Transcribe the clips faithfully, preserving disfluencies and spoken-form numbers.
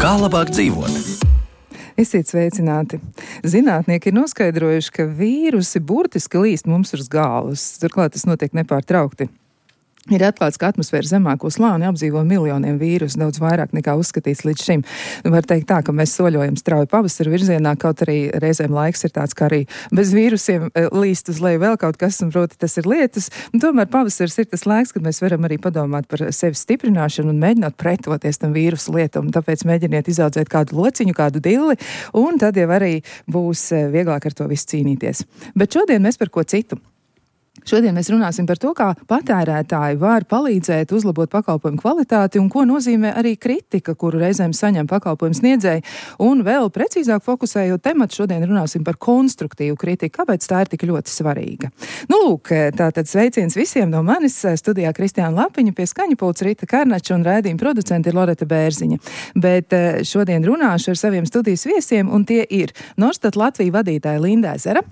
Kā labāk dzīvot? Esiet sveicināti. Zinātnieki ir noskaidrojuši, ka vīrusi burtiski līst mums uz galvas. Turklāt tas notiek nepārtraukti. Ir atklāts, ka atmosfēras zemāko slāni apdzīvo miljoniem vīrusu, daudz vairāk nekā uzskatīts līdz šim. Var teikt tā, ka mēs soļojam strauji pavasara virzienā, kaut arī reizēm laiks ir tāds, ka arī bez vīrusiem līst uz leju vēl kaut kas, un proti tas ir lietus. Un tomēr pavasars ir tas laiks, kad mēs varam arī padomāt par sevi stiprināšanu un mēģināt pretoties tam vīrusu lietam. Tāpēc mēģiniet izaudzēt kādu lociņu, kādu dilli, un tad jau arī būs vieglāk ar to visu cīnīties. Bet šodien mēs par ko citu. Šodien mēs runāsim par to, kā patērētāji var palīdzēt uzlabot pakalpojumu kvalitāti un ko nozīmē arī kritika, kuru reizēm saņem pakalpojumu sniedzēji. Un vēl precīzāk fokusējot tematu, šodien runāsim par konstruktīvu kritiku. Kāpēc tā ir tik ļoti svarīga? Nu, lūk, tātad sveiciens visiem no manis. Studijā Kristiāna Lapiņa, pie skaņu pults Rita Karnača un raidījuma producenti ir Loreta Bērziņa. Bet šodien runāšu ar saviem studijas viesiem, un tie ir Norstat Latvija vadītāja Linda Ezera.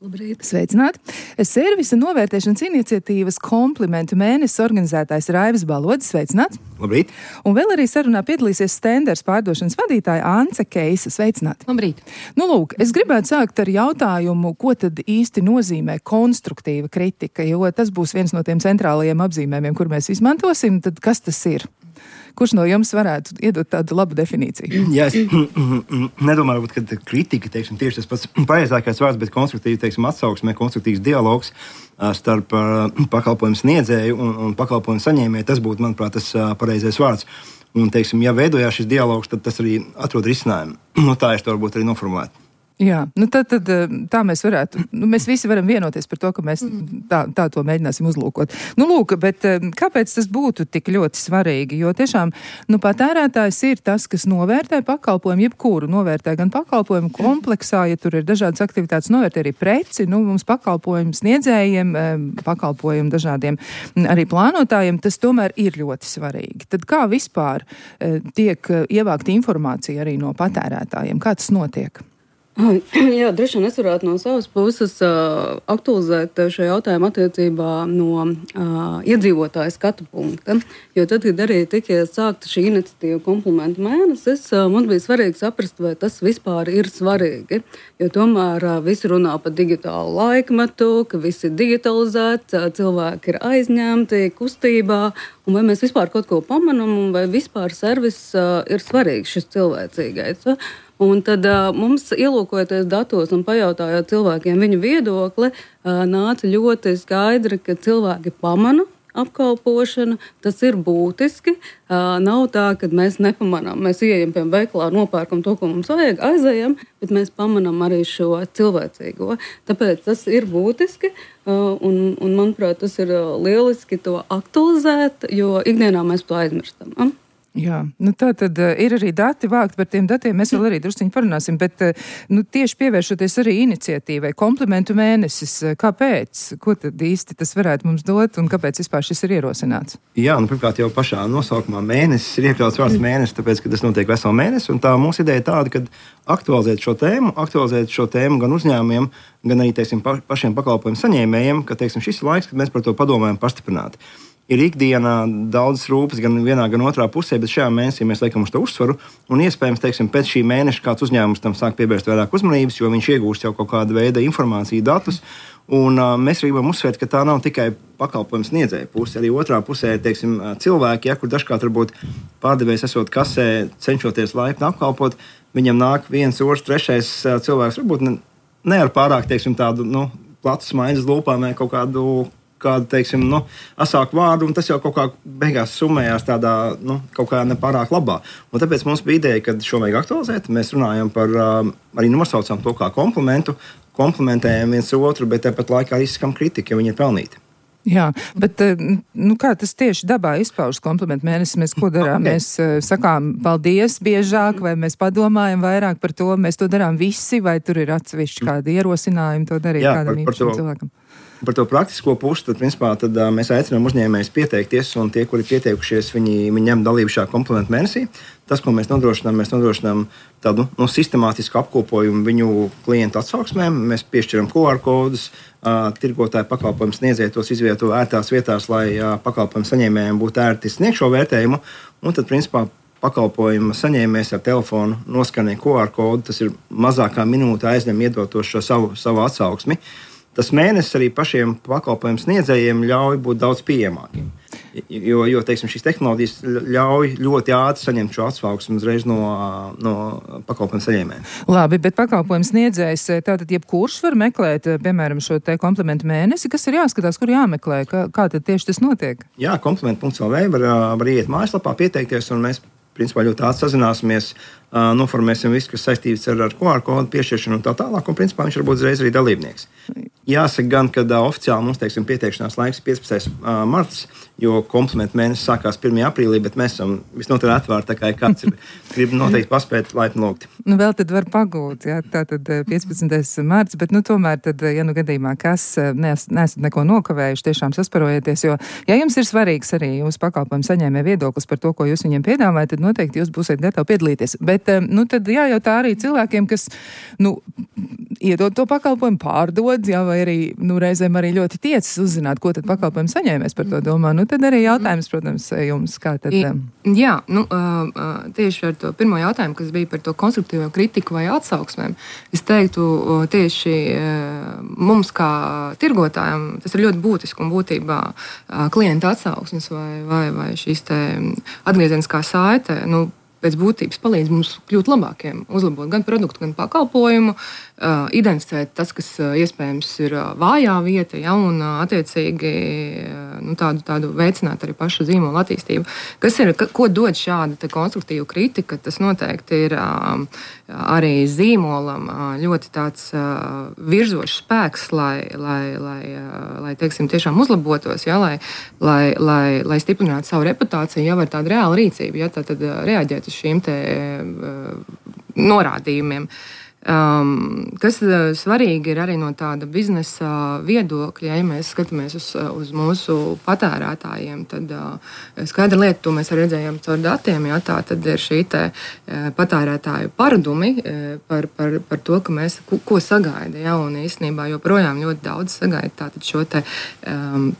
Labrīt. Sveicināti. Servisa novērtēšanas iniciatīvas komplimentu mēnesis organizētājs Raivis Balodis. Sveicināts. Labrīt. Un vēl arī sarunā piedalīsies Stenders pārdošanas vadītāja Ance Keisa. Sveicināti. Labrīt. Nu, lūk, es gribētu sākt ar jautājumu, ko tad īsti nozīmē konstruktīva kritika, jo tas būs viens no tiem centrālajiem apzīmējumiem, kur mēs izmantosim. Tad kas tas ir? Kurš no jums varētu iedot tādu labu definīciju? Jā, es nedomāju, ka kritika, teiksim, tieši tas pats pareizākais vārds, bet konstruktīvi, teiksim, atsauksmē, konstruktīvs dialogs starp pakalpojumu sniedzēju un, un pakalpojumu saņēmēju, tas būtu, manuprāt, tas pareizais vārds. Un, teiksim, ja veidojās šis dialogs, tad tas arī atrod risinājumu. Nu, tā es to varbūt arī noformulētu. Jā, nu tad, tad tā mēs varētu, nu mēs visi varam vienoties par to, ka mēs tā, tā to mēģināsim uzlūkot. Nu lūk, bet kāpēc tas būtu tik ļoti svarīgi? Jo tiešām, nu patērētājs ir tas, kas novērtē pakalpojumu, jebkuru novērtē gan pakalpojumu kompleksā, ja tur ir dažādas aktivitātes, novērtē arī preci, nu mums pakalpojumu sniedzējiem, pakalpojumu dažādiem arī plānotājiem, tas tomēr ir ļoti svarīgi. Tad kā vispār tiek ievākta informācija arī no patērētājiem? Kā tas notiek? Jā, droši vien es varētu no savas puses uh, aktualizēt šo jautājumu attiecībā no uh, iedzīvotāja skatu punkta. Jo tad, kad arī tika sākta šī iniciatīva komplimentu mēnesis, uh, man bija svarīgi saprast, vai tas vispār ir svarīgi. Jo tomēr uh, visi runā par digitālu laikmetu, ka viss ir digitalizēts, uh, cilvēki ir aizņemti kustībā, un vai mēs vispār kaut ko pamanam, un vai vispār servis uh, ir svarīgs šis cilvēcīgais. Uh, Un tad uh, mums, ielūkojoties datos un pajautājot cilvēkiem viņu viedokli, uh, nāca ļoti skaidri, ka cilvēki pamana apkalpošanu, tas ir būtiski. Uh, nav tā, ka mēs nepamanām. Mēs ieejam pie veikalā, nopērkam to, ko mums vajag, aizējam, bet mēs pamanām arī šo cilvēcīgo. Tāpēc tas ir būtiski, uh, un, un manuprāt, tas ir lieliski to aktualizēt, jo ikdienā mēs to aizmirstam. Uh? Jā, nu tā tad uh, ir arī dati vākt, par tiem datiem mēs vēl arī drusciņi parunāsim, bet uh, nu, tieši pievēršoties arī iniciatīvai, komplimentu mēnesis, uh, kāpēc? Ko tad īsti tas varētu mums dot un kāpēc vispār šis ir ierosināts? Jā, nu pirmkārt jau pašā nosaukumā mēnesis ir iekļauts vārds mēnesis, tāpēc, ka tas notiek veselu mēnesi, un tā mūsu ideja tāda, ka aktualizēt šo tēmu, aktualizēt šo tēmu gan uzņēmumiem, gan arī, teiksim, pa, pašiem pakalpojumu saņēmējiem, ka, teiksim, šis ir laiks, kad mēs par to padomājam pastiprināti. Ir ikdienā daudz rūpes gan vienā, gan otrā pusē, bet šajā mēnesī mēs liekam uz to uzsvaru. Un iespējams, teiksim, pēc šī mēneša kāds uzņēmums tam sāk pievērst vairāk uzmanības, jo viņš iegūst jau kaut kādu veidu informāciju, datus. Un uh, mēs gribam uzsvērt, ka tā nav tikai pakalpojumu sniedzēja puse. Arī otrā pusē ir, teiksim, cilvēki, ja, kur dažkārt varbūt pārdevējs esot kasē, cenšoties laipni apkalpot, viņam nāk viens, otrs, trešais cilvēks, varbūt ne, ne ar pārāk, teiksim, tādu, nu, platu smaiņas lūpām vai kaut kādu kādu, teiksim, nu, asāku vārdu, un tas jau kaut kā beigās summējās tādā, nu, kaut kā nepārāk labā. Un tāpēc mums bija ideja, ka šo vajag aktualizēt. Mēs runājam par, arī nosaucam to kā komplimentu, komplimentējam viens otru, bet tāpat laikā izskam kritiku, ja viņi ir pelnīti. Jā, bet nu, kā tas tieši dabā izpaužas komplimentu mēnesis? Mēs ko darām? Okay. Mēs uh, sakām paldies biežāk, vai mēs padomājam vairāk par to? Mēs to darām visi, vai tur ir atsevišķi kādi ierosinājumi to darīt Jā, kādam īpašam cilvēkam? Par to praktisko pusi, tad, principā, tad uh, mēs aicinām uzņēmējus pieteikties, un tie, kuri pieteikušies, viņi, viņi ņem dalību šajā komplimentu mēnesī. Tas, ko mēs nodrošinām, mēs nodrošinām tādu nu, sistemātisku apkopojumu viņu klientu atsauksmēm. Mēs piešķiram Q R kodus, uh, tirgotāju pakalpojumu sniedzēji tos izvieto ērtās vietās, lai uh, pakalpojumu saņēmējiem būtu ērti sniegt šo vērtējumu. Un tad, principā, pakalpojuma saņēmējs ar telefonu noskanē Q R kodu, tas ir mazākā minūte aizņem iedot šo savu, savu atsauksmi. Tas mēnesis arī pašiem pakalpojumu sniedzējiem ļauj būt daudz pieejamākiem. Jo, jo teiksim, šīs tehnoloģijas ļauj ļoti ātri saņemt šo atsauksmi uzreiz no, no pakalpojumu saņēmējiem. Labi, bet pakalpojumu sniedzējs, tātad jebkurš var meklēt, piemēram, šo te komplementu mēnesi, kas ir jāskatās, kur jāmeklē, kā, kā tad tieši tas notiek? Jā, komplementu punkts L V var, var iet mājaslapā, pieteikties, un mēs principā ļoti ātri sazināsimies, noformēsim visu, kas saistīts ar, ar Q R kodu piešķiršanu un tā tālāk, un principā viņš var būt uzreiz arī dalībnieks. Jāsaka gan, ka uh, oficiāli mums, teiksim, pieteikšanās laiks piecpadsmitais marts, jo komplementu mēnesis sākās pirmajā aprīlī, bet mēs esam visnotaļ atvērti, tā kā kāds ir, grib noteikti paspēt laipni lūgt. Nu, vēl tad var pagūt, jā, tā tad piecpadsmitais marts, bet, nu, tomēr tad, ja nu gadījumā kas nes, nesat neko nokavējuši, tiešām sasparojieties, jo, ja jums ir svarīgs arī jūsu pakalpojumu saņēmē viedoklis par to, ko jūs viņiem piedāvājat, tad noteikti jūs būsiet gatavi piedalīties. Bet, nu, tad jājautā arī cilvēkiem, kas, nu, iedod to pakalpojumu, pārdod, jā, vai arī, nu, reizēm arī ļoti tiecas uzzināt, ko tad pakalpojumu saņēmēs par to domā. Nu, tad arī jautājums, protams, jums, kā tad... Jā, nu, tieši ar to pirmo jautājumu, kas bija par to konstruktīvo kritiku vai atsauksmēm, es teiktu tieši mums kā tirgotājiem, tas ir ļoti būtiski un būtībā klienta atsauksmes vai, vai, vai šīs te atgriezeniskā saite, nu, pēc būtības palīdz mums kļūt labākiem, uzlabot gan produktu, gan pakalpojumu, uh, identificēt tas, kas uh, iespējams ir uh, vājā vieta, ja, un uh, attiecīgi uh, nu, tādu, tādu veicināt arī pašu zīmolu attīstību. Kas ir, ka, ko dod šāda te konstruktīva kritika, tas noteikti ir uh, arī zīmolam uh, ļoti tāds uh, virzošs spēks, lai, lai, lai, uh, lai teiksim, tiešām uzlabotos, ja, lai, lai, lai, lai stiprinātu savu reputāciju, jau ar tādu reālu rīcību, ja, tā tad uh, reaģēt uz šīm te uh, norādījumiem. Um, kas uh, svarīgi ir arī no tāda biznesa viedokļa, ja mēs skatāmies uz, uz mūsu patērētājiem, tad uh, skaidra lieta, to mēs arī redzējām caur datiem, ja, tā tad ir šī te uh, patērētāju paradumi uh, par, par, par to, ka mēs ko, ko sagaida, ja, un īstenībā joprojām ļoti daudz sagaida tātad šo te um,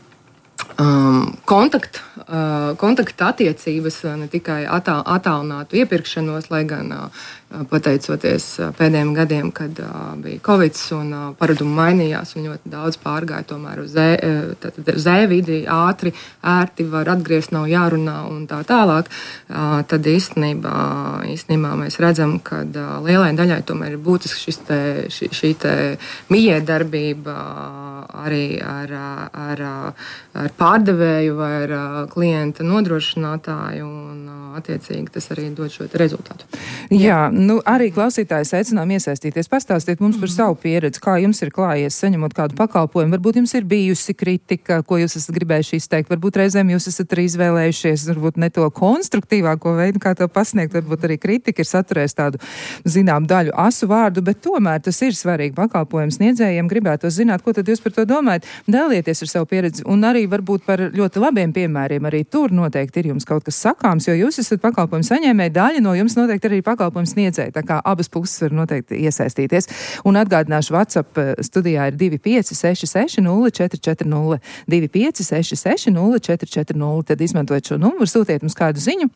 Um, kontakt, uh, kontakta attiecības, ne tikai atā, attālinātu iepirkšanos, lai gan uh, pateicoties uh, pēdējiem gadiem, kad uh, bija Covid un uh, paradumi mainījās un ļoti daudz pārgāja tomēr uz e-vidi, ātri, ērti var atgriezt, nav jārunā un tā tālāk, uh, tad īstenībā, īstenībā mēs redzam, ka uh, lielai daļai tomēr ir būtiski šis te, šī, šī te mijiedarbība arī ar, ar, ar pārdevēju vai ar klienta nodrošinātāju, un attiecīgi tas arī dod šo rezultātu. Jā, nu arī klausītājs aicinām iesaistīties. Pastāstiet mums par savu pieredzi, kā jums ir klājies saņemot kādu pakalpojumu. Varbūt jums ir bijusi kritika, ko jūs esat gribējuši izteikt. Varbūt reizēm jūs esat arī izvēlējušies, varbūt ne to konstruktīvāko veidu, kā to pasniegt. Varbūt arī kritika ir saturējusi tādu, zinām, daļu asu vārdu, bet tomēr tas ir svarīgi pakalpojumu sniedzējiem. Gribētu zināt, ko tad jūs par to domājat. Dalieties ar savu pieredzi un arī varbūt par ļoti labiem piemēriem. Arī tur noteikti ir jums kaut kas sakāms, jo jūs esat pakalpojumu saņēmēji, daļa no jums noteikti arī pakalpojumu sniedzēji, tā kā abas puses var noteikti iesaistīties. Un atgādināšu, WhatsApp studijā ir divi pieci seši seši nulle četri četri nulle, divi pieci seši seši nulle četri četri nulle, tad izmantojot šo numuru, sūtiet mums kādu ziņu.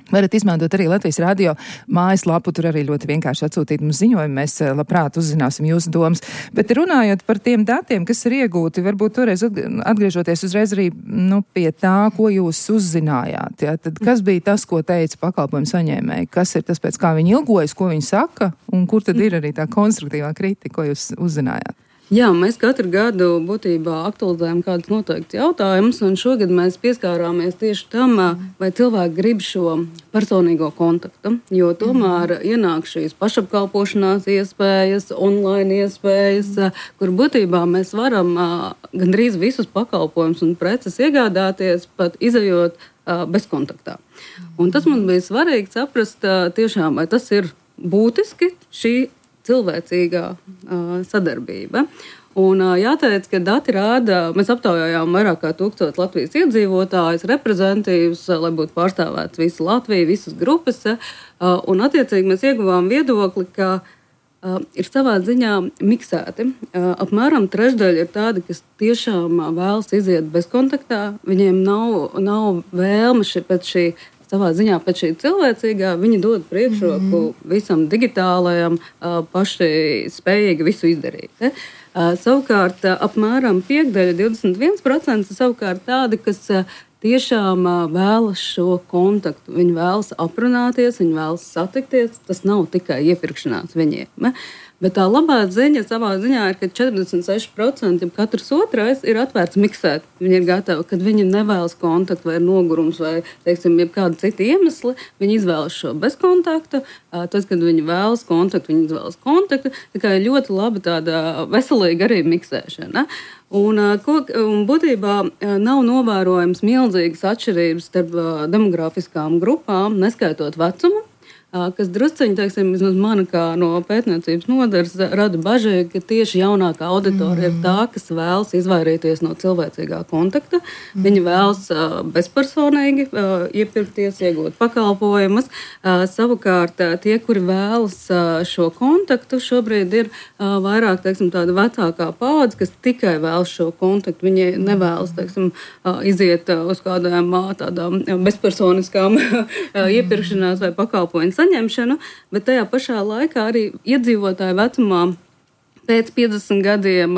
Varat izmantot arī Latvijas radio mājaslapu, tur arī ļoti vienkārši atsūtīt mums ziņojumu, mēs labprāt uzzināsim jūsu domas. Bet runājot par tiem datiem, kas ir iegūti, varbūt toreiz atgriežoties uzreiz arī nu, pie tā, ko jūs uzzinājāt. Ja? Tad kas bija tas, ko teica pakalpojumu saņēmēji? Kas ir tas, pēc kā viņi ilgojas, ko viņi saka, un kur tad ir arī tā konstruktīvā kritika, ko jūs uzzinājāt? Jā, mēs katru gadu būtībā aktualizējam kādus noteiktus jautājumus, un šogad mēs pieskārāmies tieši tam, vai cilvēki grib šo personīgo kontaktu, jo tomēr ienāk šīs pašapkalpošanās iespējas, online iespējas, kur būtībā mēs varam gandrīz visus pakalpojumus un preces iegādāties, pat izejot bezkontaktā. Un tas man bija svarīgi saprast tiešām, vai tas ir būtiski šī cilvēcīgā uh, sadarbība. Un uh, jāteic, ka dati rāda, mēs aptaujājām vairāk kā tūkstotis Latvijas iedzīvotājus, reprezentatīvus, uh, lai būtu pārstāvēts visa Latvija, visas grupas, uh, un attiecīgi mēs ieguvām viedokli, ka uh, ir savā ziņā miksēti. Uh, apmēram trešdaļa ir tādi, kas tiešām vēlas iziet bezkontaktā, viņiem nav, nav vēlme ši, pēc šī savā ziņā pēc šī cilvēcīgā viņi dod priekšroku mm-hmm. visam digitālajam, paši spējīgi visu izdarīt. Ne? Savukārt apmēram piekdaļa, divdesmit viens procents savukārt tādi, kas tiešām vēlas šo kontaktu. Viņi vēlas aprunāties, viņi vēlas satikties. Tas nav tikai iepirkšanās viņiem. Ne? Bet tā labā ziņa savā ziņā ir, ka četrdesmit seši procenti katrs otrais ir atvērts miksēt. Viņi ir gatavi, kad viņi nevēlas kontaktu vai nogurums vai, teiksim, jebkāda cita iemesli, viņi izvēlas šo bezkontaktu. Tas, kad viņi vēlas kontaktu, viņi izvēlas kontaktu. Tā kā ir ļoti laba tāda veselīga arī miksēšana. Un, un būtībā nav novērojams milzīgas atšķirības starp demografiskām grupām, neskaitot vecumu. Kas drusciņi, teiksim, vismaz man kā no pētniecības nodaļas rada bažu, ka tieši jaunākā auditorija mm. ir tā, kas vēlas izvairīties no cilvēcīgā kontakta. Mm. Viņi vēlas uh, bezpersonīgi uh, iepirkties, iegūt pakalpojumus. Uh, savukārt uh, tie, kuri vēlas uh, šo kontaktu, šobrīd ir uh, vairāk, teiksim, tāda vecākā paudze, kas tikai vēlas šo kontaktu. Viņi nevēlas, teiksim, uh, iziet uh, uz kādām uh, tādām bezpersoniskām uh, iepirkšanās vai pakalpojumu saņemšanu, bet tajā pašā laikā arī iedzīvotāju vecumā pēc piecdesmit gadiem,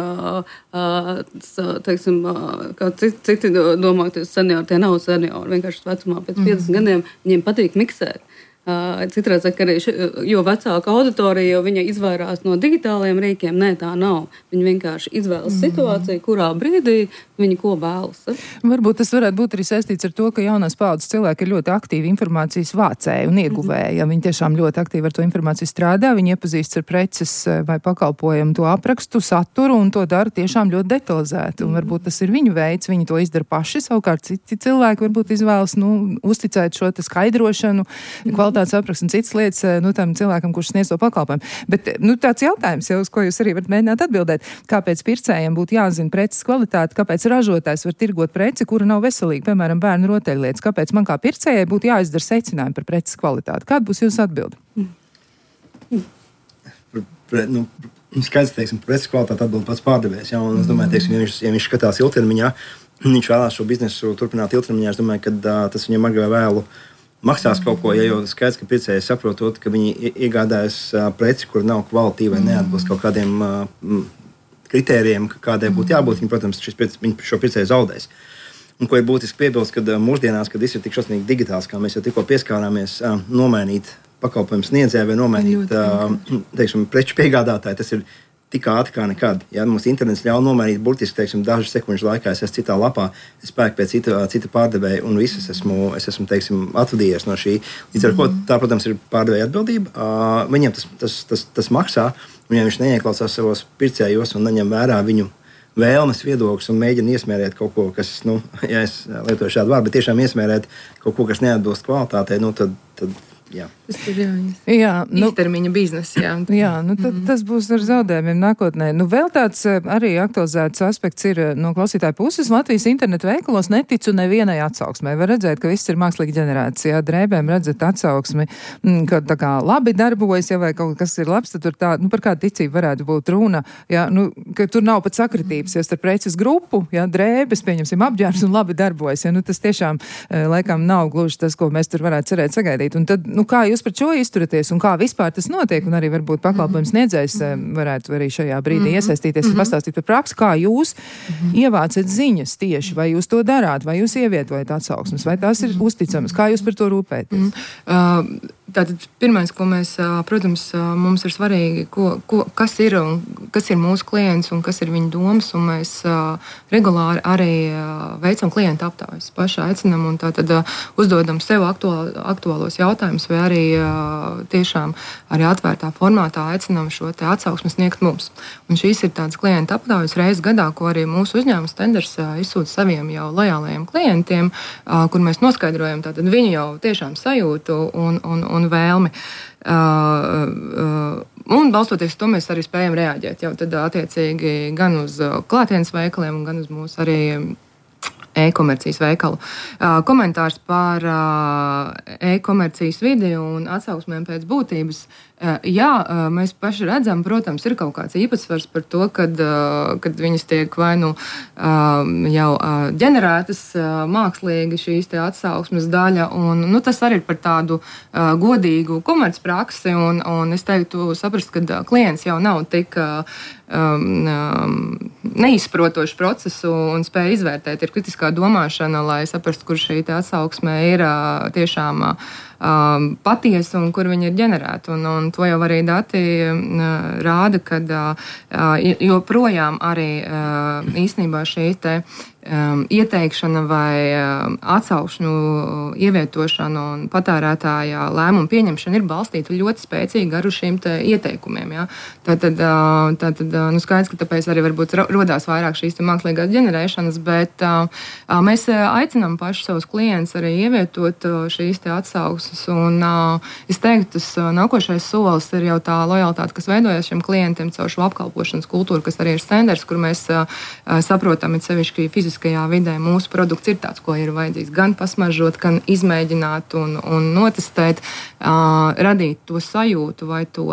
teiksim, kā citi domāties seniori, tie nav seniori, vienkārši vecumā pēc piecdesmit gadiem viņiem patīk miksēt. Citreiz, ka arī ši, jo vecāka auditorija, jo viņa izvairās no digitālajiem rīkiem, nē, tā nav. Viņi vienkārši izvēlas mm. situāciju, kurā brīdī viņi ko vēlas. Varbūt tas varētu būt arī saistīts ar to, ka jaunās paudzes cilvēki ir ļoti aktīvi informācijas vācēji un ieguvēji. Ja viņi tiešām ļoti aktīvi ar to informāciju strādā, viņi iepazīst ar preces vai pakalpojumu to aprakstu, saturu un to dara tiešām ļoti detalizēti. Un varbūt tas ir viņu veids, viņi to izdara paši, savukārt citi cilvēki varbūt izvēlas, nu, uzticēt šo te skaidrošanu, kvalitātes aprakstu un citas lietas, nu, tam cilvēkam, kurš sniedz to pakalpojumu. Bet, nu, tāds jautājums jau, uz ko jūs arī varat mēģināt atbildēt, kāpēc pircējiem būtu jāzina preces kvalitāte, kāpēc ražotājs var tirgot preci, kura nav veselīga, piemēram, bērnu rotaļlietas. Kāpēc man kā pircējai būtu jāizdara secinājumi par preces kvalitāti? Kāda būs jūsu atbilde? Mm. Pre, nu, skaidrs, teiksim, preces kvalitāti atbild pats pārdevējs. Ja? Un es domāju, teiksim, ja viņš, ja viņš skatās ilgtermiņā, viņš vēlās šo biznesu turpināt ilgtermiņā, es domāju, ka uh, tas viņam agrāk vai vēlu maksās kaut ko, ja jau skaidrs, ka pircējs saprotot, ka viņi iegādājas uh, preci, kur nav kvalitīva vai neatbilst kaut kādiem uh, kritērijiem, kādai būtu jābūt, viņi, protams, šis, viņi šo pircēju zaudēs. Un ko ir būtiski piebilst, kad mūsdienās, kad viss ir tik šausmīgi digitāls, kā mēs jau tikko pieskārāmies, nomainīt pakalpojumu sniedzēju vai nomainīt, teiksim, preču piegādātāju, tas ir tik ātri kā nekad. Ja mums internets ļauj nomainīt burtiski, teiksim, dažu sekundžu laikā, es esmu citā lapā, es pērku pēc cita, cita pārdevēja un viss es esmu, es esmu, teiksim, atvadījies no šī. Līdz ar ko tā, protams, ir pārdevēja atbildība. Uh, viņiem tas, tas, tas, tas maksā, un ja viņš neieklausās savos pircējos un neņem vērā viņu vēlmes, viedokļus un mēģina iesmērēt kaut ko, kas, nu, ja es lietoju šādu vārdu, bet tiešām iesmērēt kaut ko, kas neatbilst kvalitātei, nu, tad, tad jā. Tas ir jā, jā, nu, īstermiņa biznesa. Jā, jā nu, tad, mm. tas būs ar zaudējumiem nākotnē. Nu, vēl tāds arī aktualizēts aspekts ir no klausītāja puses. Latvijas internetu veikalos neticu nevienai atsauksmei. Var redzēt, ka viss ir mākslīgi ģenerēts. Jā, drēbēm redzat atsauksmi, ka tā kā labi darbojas, ja vai kaut kas ir labs, tad tur tā, nu, par kādu ticību varētu būt runa. Jā, nu, ka tur nav pat sakritības, ja starp preces grupu, jā, drēbes, pieņemsim, apģērbs un labi darbojas. Ja, nu, tas tiešām laikam nav gluži tas, ko mēs tur varētu cerēt sagaidīt. Un tad, nu, kā jūs par šo izturaties un kā vispār tas notiek, un arī varbūt pakalpojums sniedzējs varētu arī šajā brīdī mm-hmm. iesaistīties un pastāstīt par praksi, kā jūs mm-hmm. ievācat ziņas tieši, vai jūs to darāt, vai jūs ievietojat atsauksmes, vai tās ir uzticamas, kā jūs par to rūpēties? Mm-hmm. Uh, tātad pirmais, ko mēs, protams, mums ir svarīgi, ko, ko, kas ir un kas ir mūsu klients un kas ir viņa domas, un mēs uh, regulāri arī uh, veicam klientu aptaujas. Paši aicinam un tātad uh, uzdodam sev aktuāl, aktuālos jautājumus, vai arī uh, tiešām arī atvērtā formātā aicinam šo te atsauksmi sniegt mums. Un šīs ir tādas klientu aptaujas reizes gadā, ko arī mūsu uzņēmums Tenders uh, izsūta saviem jau lojālajiem klientiem, uh, kur mēs noskaidrojam tātad viņu jau tiešām sajūtu un, un, un vēlmi. Uh, uh, un balstoties to mēs arī spējam reaģēt jau tad attiecīgi gan uz klātienes veikaliem, gan uz mūsu arī e-komercijas veikalu. Uh, komentārs par uh, e-komercijas vidi un atsauksmēm pēc būtības. Jā, mēs paši redzam, protams, ir kaut kāds īpatsvars par to, kad, kad viņas tiek vai nu jau ģenerētas mākslīgi šīs te atsauksmes daļa, un nu, tas arī ir par tādu godīgu komercpraksi, un, un es teiktu saprast, ka klients jau nav tik um, um, neizprotošu procesu un spēja izvērtēt, ir kritiskā domāšana, lai saprastu, kur šī te atsauksme ir tiešām um, patiesa un kur viņa ir ģenerēta. Un, un to jau arī dati uh, rāda, ka uh, joprojām arī uh, īstenībā šī te um, ieteikšana vai um, atsaukšņu ievietošana un patērētāja lēmumu pieņemšana ir balstīta ļoti spēcīgi ar šīm te ieteikumiem. Ja? Tātad, uh, tātad uh, nu skaidrs, ka tāpēc arī varbūt rodās vairāk šīs te mākslīgās ģenerēšanas, bet uh, uh, mēs aicinām paši savus klientus arī ievietot uh, šīs te atsauksmes. Un uh, es teiktu, tas uh, nākošais solis ir jau tā lojalitāte, kas veidojas šiem klientiem caur šo apkalpošanas kultūru, kas arī ir standarts, kur mēs uh, saprotam, it sevišķi fiziskajā vidē mūsu produkts ir tāds, ko ir vajadzīgs gan pasmaržot, gan izmēģināt un, un notestēt, uh, radīt to sajūtu vai to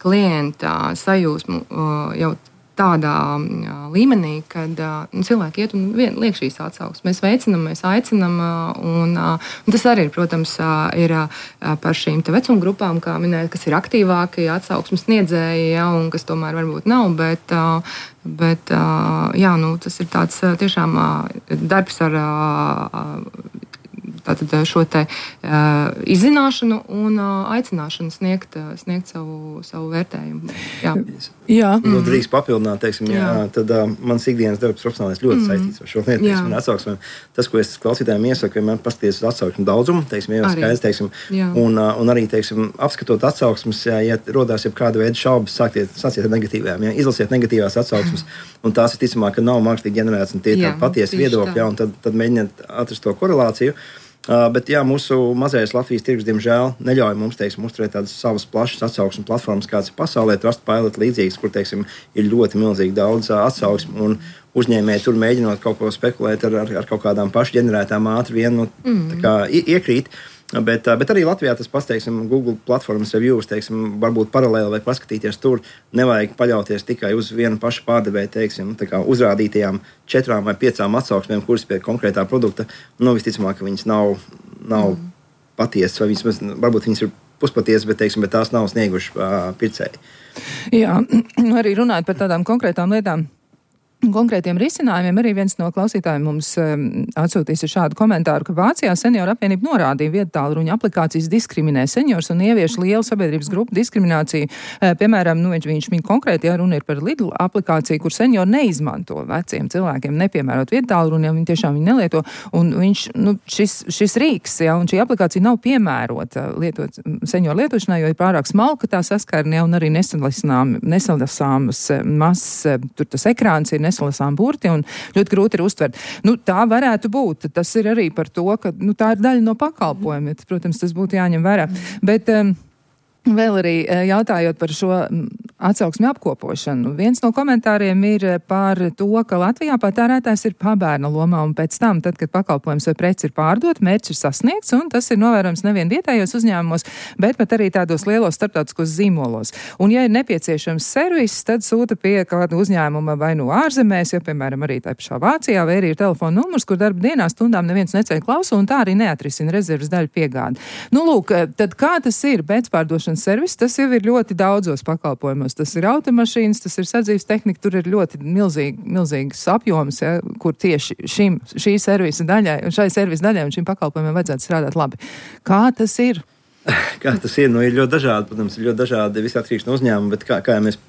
klienta sajūsmu uh, jau tādā uh, līmenī, kad uh, nu, cilvēki iet un vien, liek šīs atsauksmes. Mēs veicinam, mēs aicinam, uh, un, uh, un tas arī, protams, uh, ir uh, par šīm te vecuma grupām, kā minēt, kas ir aktīvākie atsauksmes sniedzēji, ja, un kas tomēr varbūt nav, bet, uh, bet uh, jā, nu, tas ir tāds uh, tiešām uh, darbs ar uh, tātad šo te uh, izzināšanu un uh, aicināšanu sniegt, uh, sniegt savu, savu vērtējumu. Jā. Jā. Mm. Nu, drīkst papildināt, teiksim, jā. Jā, tad uh, mans ikdienas darbs profesionālais ļoti mm. saistīts ar šo lietu, teiksim, un atsauksmēm. Tas, ko es klausītājiem iesaku, vienmēr paskatīties uz atsauksmu daudzumu, teiksim, jau skaidrs, teiksim, un, uh, un arī, teiksim, apskatot atsauksmes, ja, ja rodās jau kāda veida šaubas, sākiet, sāciet ar negatīvām, ja, izlasiet negatīvās atsauksmes, un tās ir ticamāk, ka nav mākslīgi ģenerēts, un tie ir patiesi viedokļi, ja, un tad, tad mēģiniet atrast to korelāciju. Uh, bet jā, mūsu mazais Latvijas tirgus, diemžēl, neļauj mums, teiksim, uzturēt tādas savas plašas atsauksmes platformas, kāds ir pasaulē, Trustpilot līdzīgas, kur, teiksim, ir ļoti milzīgi daudz uh, atsauksmu, un uzņēmēji tur mēģinot kaut ko spekulēt ar, ar, ar kaut kādām pašģenerētām ātri vien, nu, mm. tā kā iekrīt. Bet, bet arī Latvijā tas pats, teiksim, Google platformas reviews, teiksim, varbūt paralēli vai paskatīties tur, nevajag paļauties tikai uz vienu pašu pārdevēju, teiksim, tā kā uzrādītajām četrām vai piecām atsauksmēm, kuras pie konkrētā produkta, nu, visticamāk, ka viņas nav, nav mm. patiesas, vai viņas, varbūt viņas ir puspatiesas, bet, teiksim, bet tās nav snieguši uh, pircēji. Jā, arī runājot par tādām konkrētām lietām. Konkrētiem risinājumiem arī viens no klausītājiem mums um, atsūtīs šādu komentāru, ka Vācijā senioru apvienība norādīja viedtālruņa aplikācijas diskriminē seniors un ievieš lielu sabiedrības grupu diskrimināciju. Uh, piemēram, nu, viņš, viņš min konkrēti, ja runa ir par Lidl aplikāciju, kur seniori neizmanto veciem cilvēkiem, nepiemērot viedtālruņu, ja viņi tiešām viņi nelieto. Un viņš, nu, šis, šis rīks, ja, un šī aplikācija nav piemērota lietot senioru lietošanai, jo ir pārāk smalka tā saskarne, ja, un arī nesalasāmas mazs, tur tas ekrāns ir nesalasām burti un ļoti grūti ir uztvert. Nu, tā varētu būt. Tas ir arī par to, ka nu, tā ir daļa no pakalpojuma. Protams, tas būtu jāņem vērā. Bet um, vēl arī jautājot par šo atsauksmi apkopošanu. Viens no komentāriem ir par to, ka Latvijā patērētājs ir pabērna lomā un pēc tam, tad, kad pakalpojums vai preci ir pārdot, mērķis ir sasniegts un tas ir novērojams nevien vietējos uzņēmumos, bet pat arī tādos lielos starptautiskos zīmolos. Un ja ir nepieciešams servis, tad sūta pie kāda uzņēmuma vai no ārzemēs, jo, piemēram, arī tā pašā Vācijā, vai arī ir telefona numurs, kur darba dienā stundām neviens neceļ klausu un tā arī neatrisina rezerves daļu piegādi. Nu, lūk, tad kā tas ir pēcpārdošanas servis? Tas jau ir ļoti daudzos pakalpojumos. Tas ir automašīnas, tas ir sadzīves tehnika, tur ir ļoti milzīgi, milzīgs apjoms, ja, kur tieši šim, šī servisa daļai, šai servisa daļai un šim pakalpojumiem vajadzētu strādāt labi. Kā tas ir? Kā tas ir? Nu, ir ļoti dažādi, protams, ir ļoti dažādi visi atkarīgs no uzņēmuma, bet kā, kā ja mēs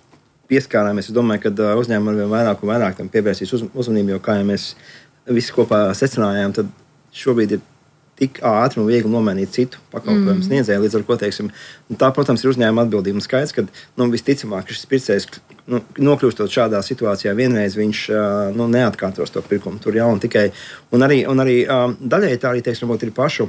pieskārāmies, es domāju, ka uzņēmumi arvien vairāk un vairāk tam pievērsīs uz, uzmanību, jo kā ja mēs visi kopā secinājām, tad šobrīd ir tik ātri un viegli nomainīt citu pakalpojumu mm. sniedzēju, līdz ar ko, teiksim, tā, protams, ir uzņēmuma atbildība. Un skaidrs, ka, nu, visticamāk, šis pircējs, nu, nokļūstot šādā situācijā, vienreiz viņš, nu, neatkārtos to pirkumu tur jau un tikai, un arī, un arī daļai tā arī, teiksim, ir pašu,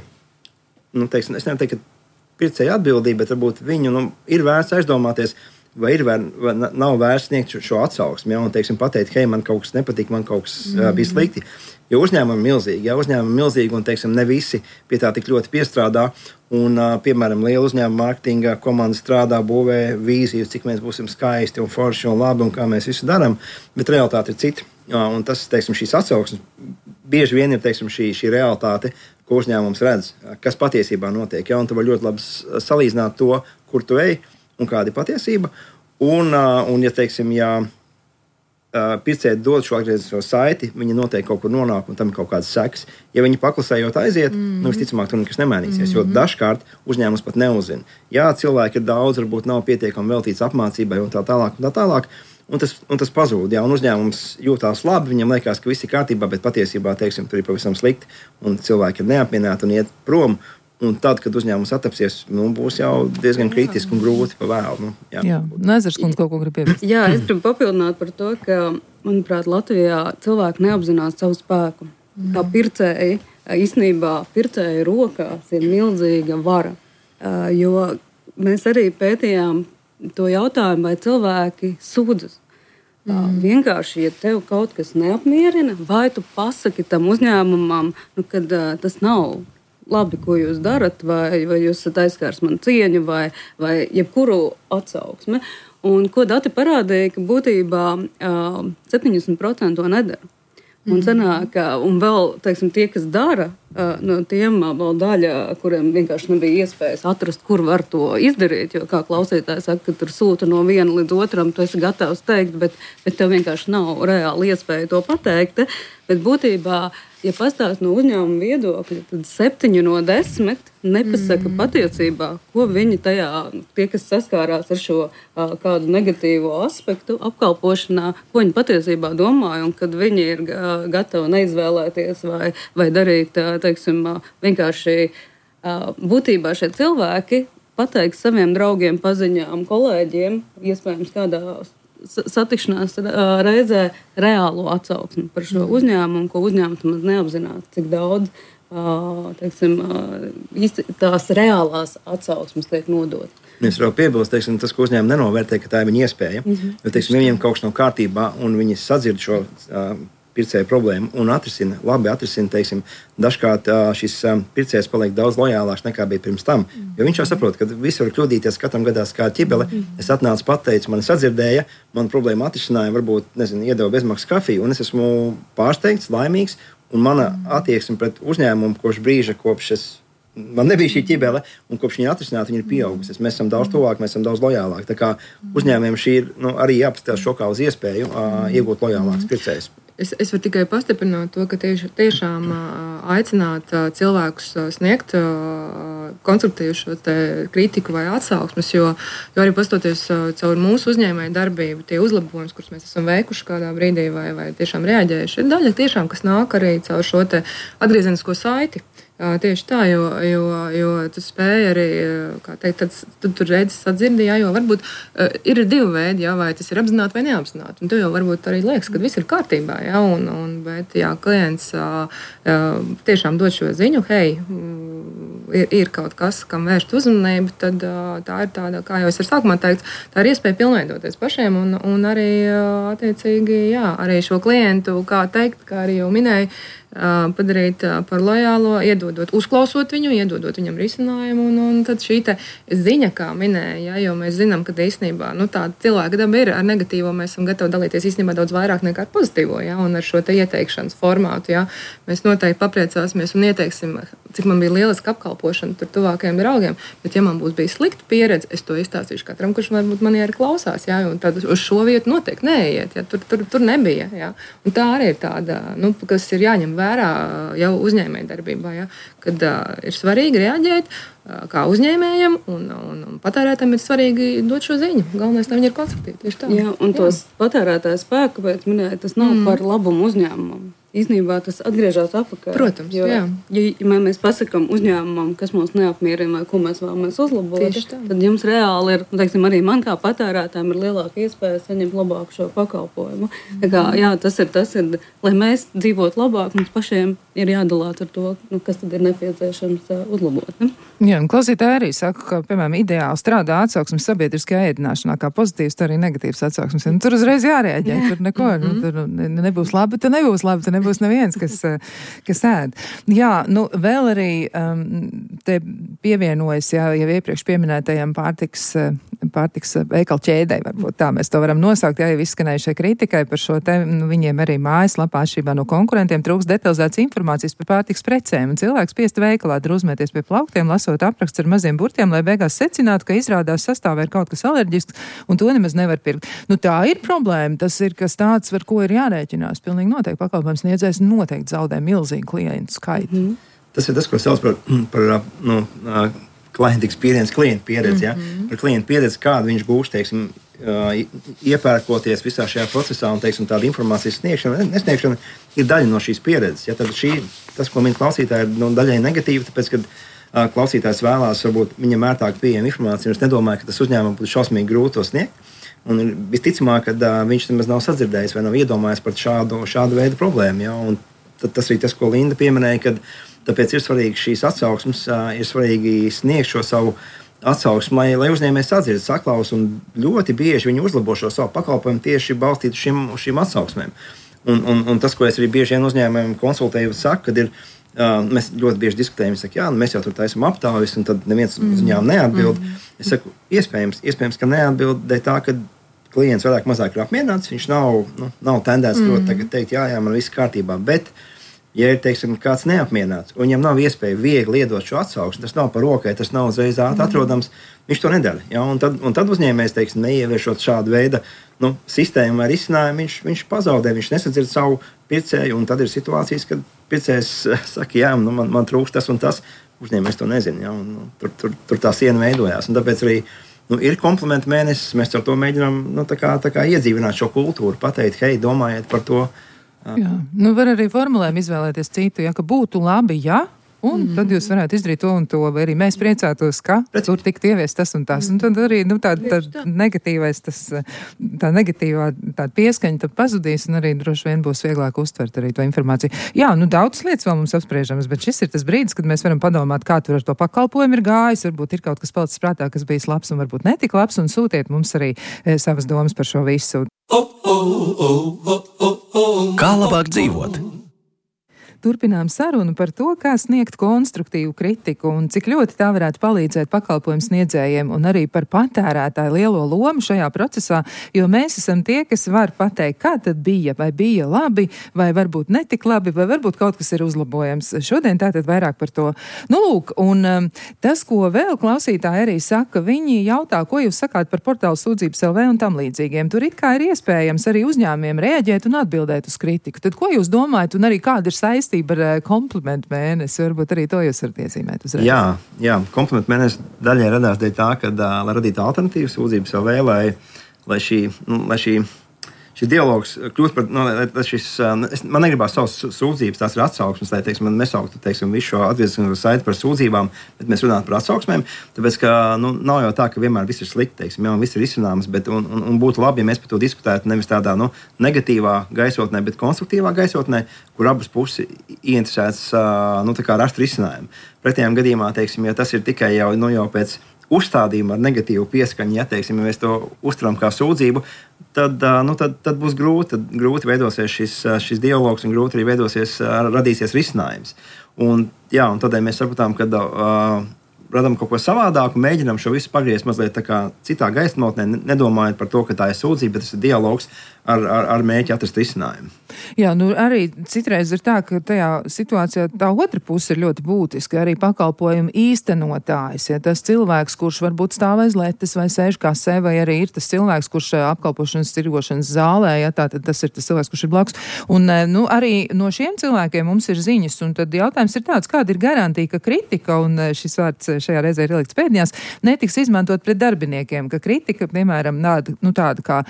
nu, teiksim, es nevaru teikt, ka pircēja atbildība, bet varbūt viņu, nu, ir vērts aizdomāties, vai ir vai, vai nav vērts sniegt šo, šo atsauksmi, ja, un, teiksim, pateikt, hei, man kaut kas nepatīk, man kaut kas mm. bija slikti. Jo uzņēmumi ir milzīgi, ja uzņēmumi ir milzīgi, un, teiksim, ne visi pie tā tik ļoti piestrādā, un, piemēram, liela uzņēmuma mārketinga komanda strādā, būvē vīziju, cik mēs būsim skaisti un forši un labi, un kā mēs visu darām, bet realitāte ir cita. Un tas, teiksim, šīs atsauksmes bieži vien ir, teiksim, šī, šī realitāte, ko uzņēmums redz, kas patiesībā notiek. Ja? Un tu vari ļoti labi salīdzināt to, kur tu ej un kāda ir patiesība. Un, un ja, teiksim, ja pircēji dod šo atgrieznisko saiti, viņi noteikti kaut kur nonāk un tam ir kaut kādas sekas. Ja viņi paklusējot aiziet, mm-hmm. nu visticamāk tur nekas nemainīsies, mm-hmm. jo dažkārt uzņēmums pat neuzzina. Jā, cilvēki ir daudz, varbūt nav pietiekami veltīts apmācībai un tā tālāk un tā tālāk. Un tas, un tas pazūd, jā, un uzņēmums jūtās labi, viņam liekas, ka viss ir kārtībā, bet patiesībā, teiksim, tur ir pavisam slikti, un cilvēki ir neapmierināti un iet prom. Un tad, kad uzņēmums attapsies, nu, būs jau diezgan kritiski un grūti pa vēlu. Nu, jā, jā. Nezars kundze kaut ko grib piebilst. Jā, es gribu papildināt par to, ka, manuprāt, Latvijā cilvēki neapzinās savu spēku. Mm. Kā pircēji, īstenībā pircēju rokās ir milzīga vara. Jo mēs arī pētījām to jautājumu, vai cilvēki sūdzas. Mm. Vienkārši, ja tev kaut kas neapmierina, vai tu pasaki tam uzņēmumam, nu, kad uh, tas nav labi, ko jūs darat, vai, vai jūs esat aizskārs man cieņu, vai, vai jebkuru atsauksmi. Un ko dati parādīja, ka būtībā uh, septiņdesmit procenti to nedara. Un, sanāk, un vēl, teiksim, tie, kas dara, uh, no tiem vēl daļa, kuriem vienkārši nebija iespējas atrast, kur var to izdarīt, jo, kā klausītājs saka, ka tur sūta no viena līdz otram, tu esi gatavs teikt, bet, bet tev vienkārši nav reāli iespēja to pateikt. Bet būtībā, ja pastāst no uzņēmuma viedokļa, tad septiņi no desmit nepasaka mm. patiesībā, ko viņi tajā, tie, kas saskārās ar šo uh, kādu negatīvo aspektu apkalpošanā, ko viņi patiesībā domāja, un kad viņi ir uh, gatavi neizvēlēties vai, vai darīt, uh, teiksim, uh, vienkārši uh, būtībā šie cilvēki pateiks saviem draugiem, paziņām, kolēģiem, iespējams kādā satikšanās reizē reālo atsauksmi par šo uzņēmumu, ko uzņēmums maz neapzinās, cik daudz teiksim, tās reālās atsauksmes tiek nodot. Mēs varam piebilst, teiksim, tas, ko uzņēmumi nenovērtē, ka tā ir viņa iespēja. Mm-hmm. Jo, teiksim, viņiem kaut kas nav kārtībā, un viņi sadzird šo uh, pircēju problēmu un atrisina, labi atrisina, teiksim, dažkārt šis pircējs paliek daudz lojālāks nekā bija pirms tam. Jo viņš jau saprot, ka visi var kļūdīties, katram gadās kā ķibele. Es atnācu pateicu, mani sadzirdēja, man problēma atrisināja, varbūt, nezinu, iedeva bezmaksas kafiju, un es esmu pārsteigts, laimīgs, un mana attieksme pret uzņēmumu kopš brīža, kopš es, man nebija šī ķibele, un kopš viņa atrisināta, viņa ir pieaugusies. Mēs esam daudz tuvāk, mēs esam daudz lojālāki. Tā kā uzņēmējiem šī ir, nu, arī jāpaskatās šo kā uz iespēju uh, iegūt lojālāks pircējs. Es, es varu tikai pastiprināt to, ka tieši, tiešām aicināt cilvēkus sniegt konstruktīvu šo kritiku vai atsauksmes, jo, jo arī pastoties caur mūsu uzņēmēju darbību, tie uzlabojums, kurus mēs esam veikuši kādā brīdī vai, vai tiešām reaģējuši, ir daļa tiešām, kas nāk arī caur šo te atgriezenisko saiti. Tieši tā, jo, jo, jo tu spēj arī, kā teikt, tad, tad tur redzes sadzirdi, jā, jo varbūt uh, ir divi veidi, jā, vai tas ir apzināti vai neapzināti. Un tu jau varbūt arī liekas, ka viss ir kārtībā, jā, un, un, bet, jā, klients uh, uh, tiešām dod šo ziņu, hei, ir, ir kaut kas, kam vērst uzmanību, tad uh, tā ir tāda, kā jau es ar sākumā teicu, tā ir iespēja pilnveidoties pašiem un, un arī, uh, attiecīgi, jā, arī šo klientu, kā teikt, kā arī jau minēju, padarīt par lojālo, iedodot, uzklausot viņu, iedodot viņam risinājumu. Un, un tad šī ziņa, kā minēja, ja, jo mēs zinām, ka īstenībā nu, tāda cilvēka daba ir ar negatīvo, mēs esam gatavi dalīties īstenībā daudz vairāk nekā ar pozitīvo. Ja, un ar šo ieteikšanas formātu ja, mēs noteikti papriecāsimies un ieteiksim, cik man bija lieliska apkalpošana tur tuvākajiem draugiem. Bet, ja man būs bijis slikta pieredze, es to izstāstīšu katram, kurš varbūt mani arī klausās. Ja, un tad uz šo vietu noteikti neiet. Ja, tur, tur, tur nebija. Ja. Un tā arī ir tāda, nu, kas ir jāņem vērā jau uzņēmējdarbībā, ja, kad uh, ir svarīgi reaģēt uh, kā uzņēmējiem, un, un, un patērētājiem ir svarīgi dot šo ziņu. Galvenais, lai viņi ir konstruktīvi. Tieši tā. Jā, un tos patērētāju spēku, pēc minēja, tas nav mm. par labumu uzņēmumam. īstenībā tas atgriežas atpakaļ. Protams, jo, jā. Ja, ja mēs pasakām uzņēmumam, kas mūs neapmierina vai ko mēs vēlamies uzlabot, tad jums reāli ir, teiksim, arī man kā patērētājiem ir lielāka iespēja saņemt labāku šo pakalpojumu. Tā kā, jā, tas ir tas, ir, lai mēs dzīvotu labāk, mums pašiem ir jādalās ar to, nu, kas tad ir nepieciešams uh, uzlabot. Ne? Jā, un klausītāji arī saka, ka, piemēram, ideāli strādā atsauksmes sabiedriskajā ēdināšanā, kā pozitīvs, tā arī negatīvs atsauksmes. Un tur uzreiz jārēģē, tur neko, nu, tur nebūs labi, tur nebūs labi, tur nebūs neviens, kas, kas ēd. Jā, nu, vēl arī um, te pievienojas, jā, jau iepriekš pieminētajam pārtiks, pārtiks veikalu ķēdei, varbūt tā mēs to varam nosaukt, jā, jau izskanējušai kritikai par šo te, nu, viņiem arī mājaslapā atšķirībā no konkurentiem trūks detalizētas informācijas par pārtiks precēm, un cilvēks spiest veikalā drūzmēties pie plauktiem, lasot apraksts ar maziem burtiem, lai beigās secinātu, ka izrādās sastāvā ir kaut kas alerģisks, un to nemaz nevar pirkt. Nu, tā ir problēma, tas ir kas tāds, ar ko ir jārēķinās. Pilnīgi noteikti pakalpojums sniedzējs noteikti zaudē milzīgu klientu skaitu. Mm. Tas ir tas, ko sauc par, par nu, klienta experience, klienta pieredzi. Mm-hmm. Ja? Par klienta pieredzi, kādu viņš gūst, teiksim, iepērkoties visā šajā procesā un, teiksim, tāda informācijas sniegšana, nesniegšana ir daļa no šīs pieredzes. Ja? Tad šī, tas, ko min klausītāji, ir nu, daļai negatīvi, tāpēc, kad klausītājs vēlās, varbūt viņam ērtāk pieejama informācija, un es nedomāju, ka tas uzņēmumam būtu šausmīgi grūti to sniegt. Un visticamāk, ka uh, viņš nemaz nav sadzirdējis vai nav iedomājies par šādu, šādu veidu problēmu. Ja? Un tas arī tas, ko Linda pieminēja, ka tāpēc ir svarīgi šīs atsauksmes, uh, ir svarīgi sniegt šo savu atsauksmi, lai, lai uzņēmējs sadzird, saklaus, un ļoti bieži viņi uzlabo šo savu pakalpojumu tieši balstīt uz šīm, uz šīm atsauksmēm. Un, un, un tas, ko es arī bieži vien uzņēmējiem konsultēju, saku, kad ir Uh, mēs ļoti bieži diskutējam, saka, jā, mēs jau tur taisam aptaujas, un tad neviens mm. uzņēmums neatbild. Mm. Es saku, iespējams, iespējams, ka neatbild dēļ tā, ka klients vairāk mazāk ir apmierināts, viņš nav, nu, nav tendēts mm. ļoti tagad teikt, jā, jā, man viss kārtībā, bet, ja ir, teiksim, kāds neapmierināts, un viņam nav iespēja viegli iedot šo atsauksmi, tas nav par rokai, tas nav uzreiz ātri mm. atrodams, viņš to nedara. Ja? Un, tad, un tad uzņēmējs, teiksim, neieviešot šādu veidu nu, sistēmu vai risinājumu, viņš, viņš pazaudē, viņš nesadzird savu pircēju, un tad ir situācijas, kad pircējs saka, jā, nu, man, man trūkst tas un tas, uzņēmējs to nezina, ja? Un, nu, tur, tur, tur tā siena veidojās, un tāpēc arī nu, ir komplimentu mēnesis, mēs ar to mēģinām nu, tā kā, tā kā iedzīvināt šo kultūru, pateikt, hei, domājiet par to. Jā, nu var arī formulējumu izvēlēties citu, ja, ka būtu labi, ja, un mm-hmm. tad jūs varētu izdarīt to un to, vai arī mēs priecātos, ka Pret. tur tikt ieviest tas un tas. Mm-hmm. Un tad arī nu, tā, tā negatīvais, tas, tā negatīvā tā pieskaņa tad pazudīs, un arī droši vien būs vieglāk uztvert arī to informāciju. Jā, nu daudz lietas vēl mums apspriežamas, bet šis ir tas brīdis, kad mēs varam padomāt, kā tur ar to pakalpojumu ir gājis, varbūt ir kaut kas palicis prātā, kas bijis labs un varbūt netik labs, un sūtiet mums arī e, savas domas par šo visu. Kā labāk dzīvot? Turpinām sarunu par to, kā sniegt konstruktīvu kritiku un cik ļoti tā varētu palīdzēt pakalpojumu sniedzējiem un arī par patērētāju lielo lomu šajā procesā, jo mēs esam tie, kas var pateikt, kā tad bija, vai bija labi, vai varbūt netik labi, vai varbūt kaut kas ir uzlabojams. Šodien tātad vairāk par to. Nu, lūk, un um, tas, ko vēl klausītāji arī saka, viņi jautā, ko jūs sakāt par portālu sūdzības L V un tam līdzīgiem. Tur it kā ir iespējams arī uzņēmumiem reaģēt un atbildēt uz kritiku. Tad ko jūs domājat un arī kāda ir saistība ar komplimentu mēnesi? Varbūt arī to jūs varat iezīmēt uzreiz. Jā, jā, komplimentu mēnesi daļai radās dēļ tā, ka, lai radītu alternatīvas sūdzības L V, lai, lai šī, nu, lai šī šis dialogs kļūst par, nu, šis, man negribās savas sūdzības, tās ir atsauksmes, lai, teiksim, man nesauktu, teiksim, visu šo atgriezenisko saiti par sūdzībām, bet mēs runājam par atsauksmēm, tāpēc, ka, nu, nav jau tā, ka vienmēr viss ir slikti, teiksim, jau viss ir izcināms, bet, un, un, un būtu labi, ja mēs par to diskutētu nevis tādā, nu, negatīvā gaisotnē, bet konstruktīvā gaisotnē, kur abas puses ieinteresētas, nu, tā kā rast risinājumu. Pretējām gadījumā, teiksim, ja tas ir tikai jau, nu, jau pēc uzstādījumu ar negatīvu pieskaņu, ja, teiksim, ja mēs to uztveram kā sūdzību, tad, nu, tad, tad būs grūti, tad grūti veidosies šis, šis dialogs un grūti arī veidosies, radīsies risinājums. Un, jā, un tādēļ mēs sapratām, ka uh, radām kaut ko savādāku, mēģinām šo visu pagriezt mazliet tā kā citā gaismotnē, nedomājot par to, ka tā ir sūdzība, bet tas ir dialogs ar, ar, ar mēķi atrast risinājumu. Jā, nu arī citreiz ir tā, ka tajā situācijā tā otra puse ir ļoti būtiska, arī pakalpojumu īstenotājs. Ja tas cilvēks, kurš varbūt stāv aiz letes vai sēž kasē, vai arī ir tas cilvēks, kurš apkalpošanas tirgošanas zālē, ja tā, tad tas ir tas cilvēks, kurš ir blakus. Un, nu, arī no šiem cilvēkiem mums ir ziņas, un tad jautājums ir tāds, kāda ir garantija, ka kritika, un šis vārds šajā reizē ir ielikts pēdņās, netiks izmantot pret darbiniekiem, ka kritika, piemēram, tāda, nu, tāda kā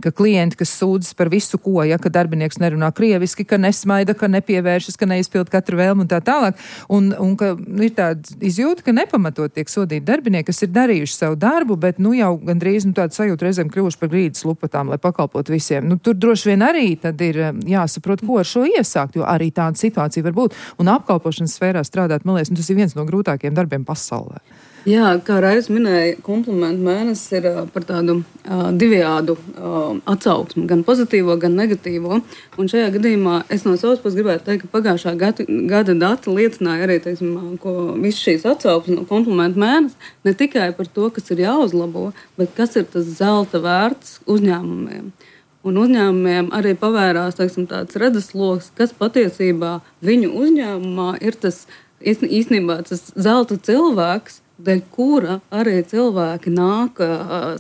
ka klienti, kas sūdzas par visu ko, ja, ka darbinieks nerunā krieviski, ka nesmaida, ka nepievēršas, ka neizpild katru vēlmu un tā tālāk. Un, un ka nu, ir tāda izjūta, ka nepamatot tiek sodīti darbinieki, kas ir darījuši savu darbu, bet nu jau gandrīz nu, tāda sajūta reizēm kļuvuši par grīdas lupatām, lai pakalpotu visiem. Nu, tur droši vien arī tad ir jāsaprot, ko ar šo iesākt, jo arī tāda situācija var būt. Un apkalpošanas sfērā strādāt, man liekas, nu, tas ir viens no grūtākajiem darbiem pasaulē. Jā, kā Raivis minēja, komplimentu mēnesis ir uh, par tādu uh, divējādu uh, atsauksmi, gan pozitīvo, gan negatīvo. Un šajā gadījumā es no savas puses gribētu teikt, ka pagājušā gada, gada dati liecināja arī, teiksim, ko viss šīs atsauksmes no komplimentu mēnesis, ne tikai par to, kas ir jāuzlabo, bet kas ir tas zelta vērts uzņēmumiem. Un uzņēmumiem arī pavērās, teiksim, tāds redzesloks, kas patiesībā viņu uzņēmumā ir tas īstenībā tas zelta cilvēks, dēļ kura arī cilvēki nāk,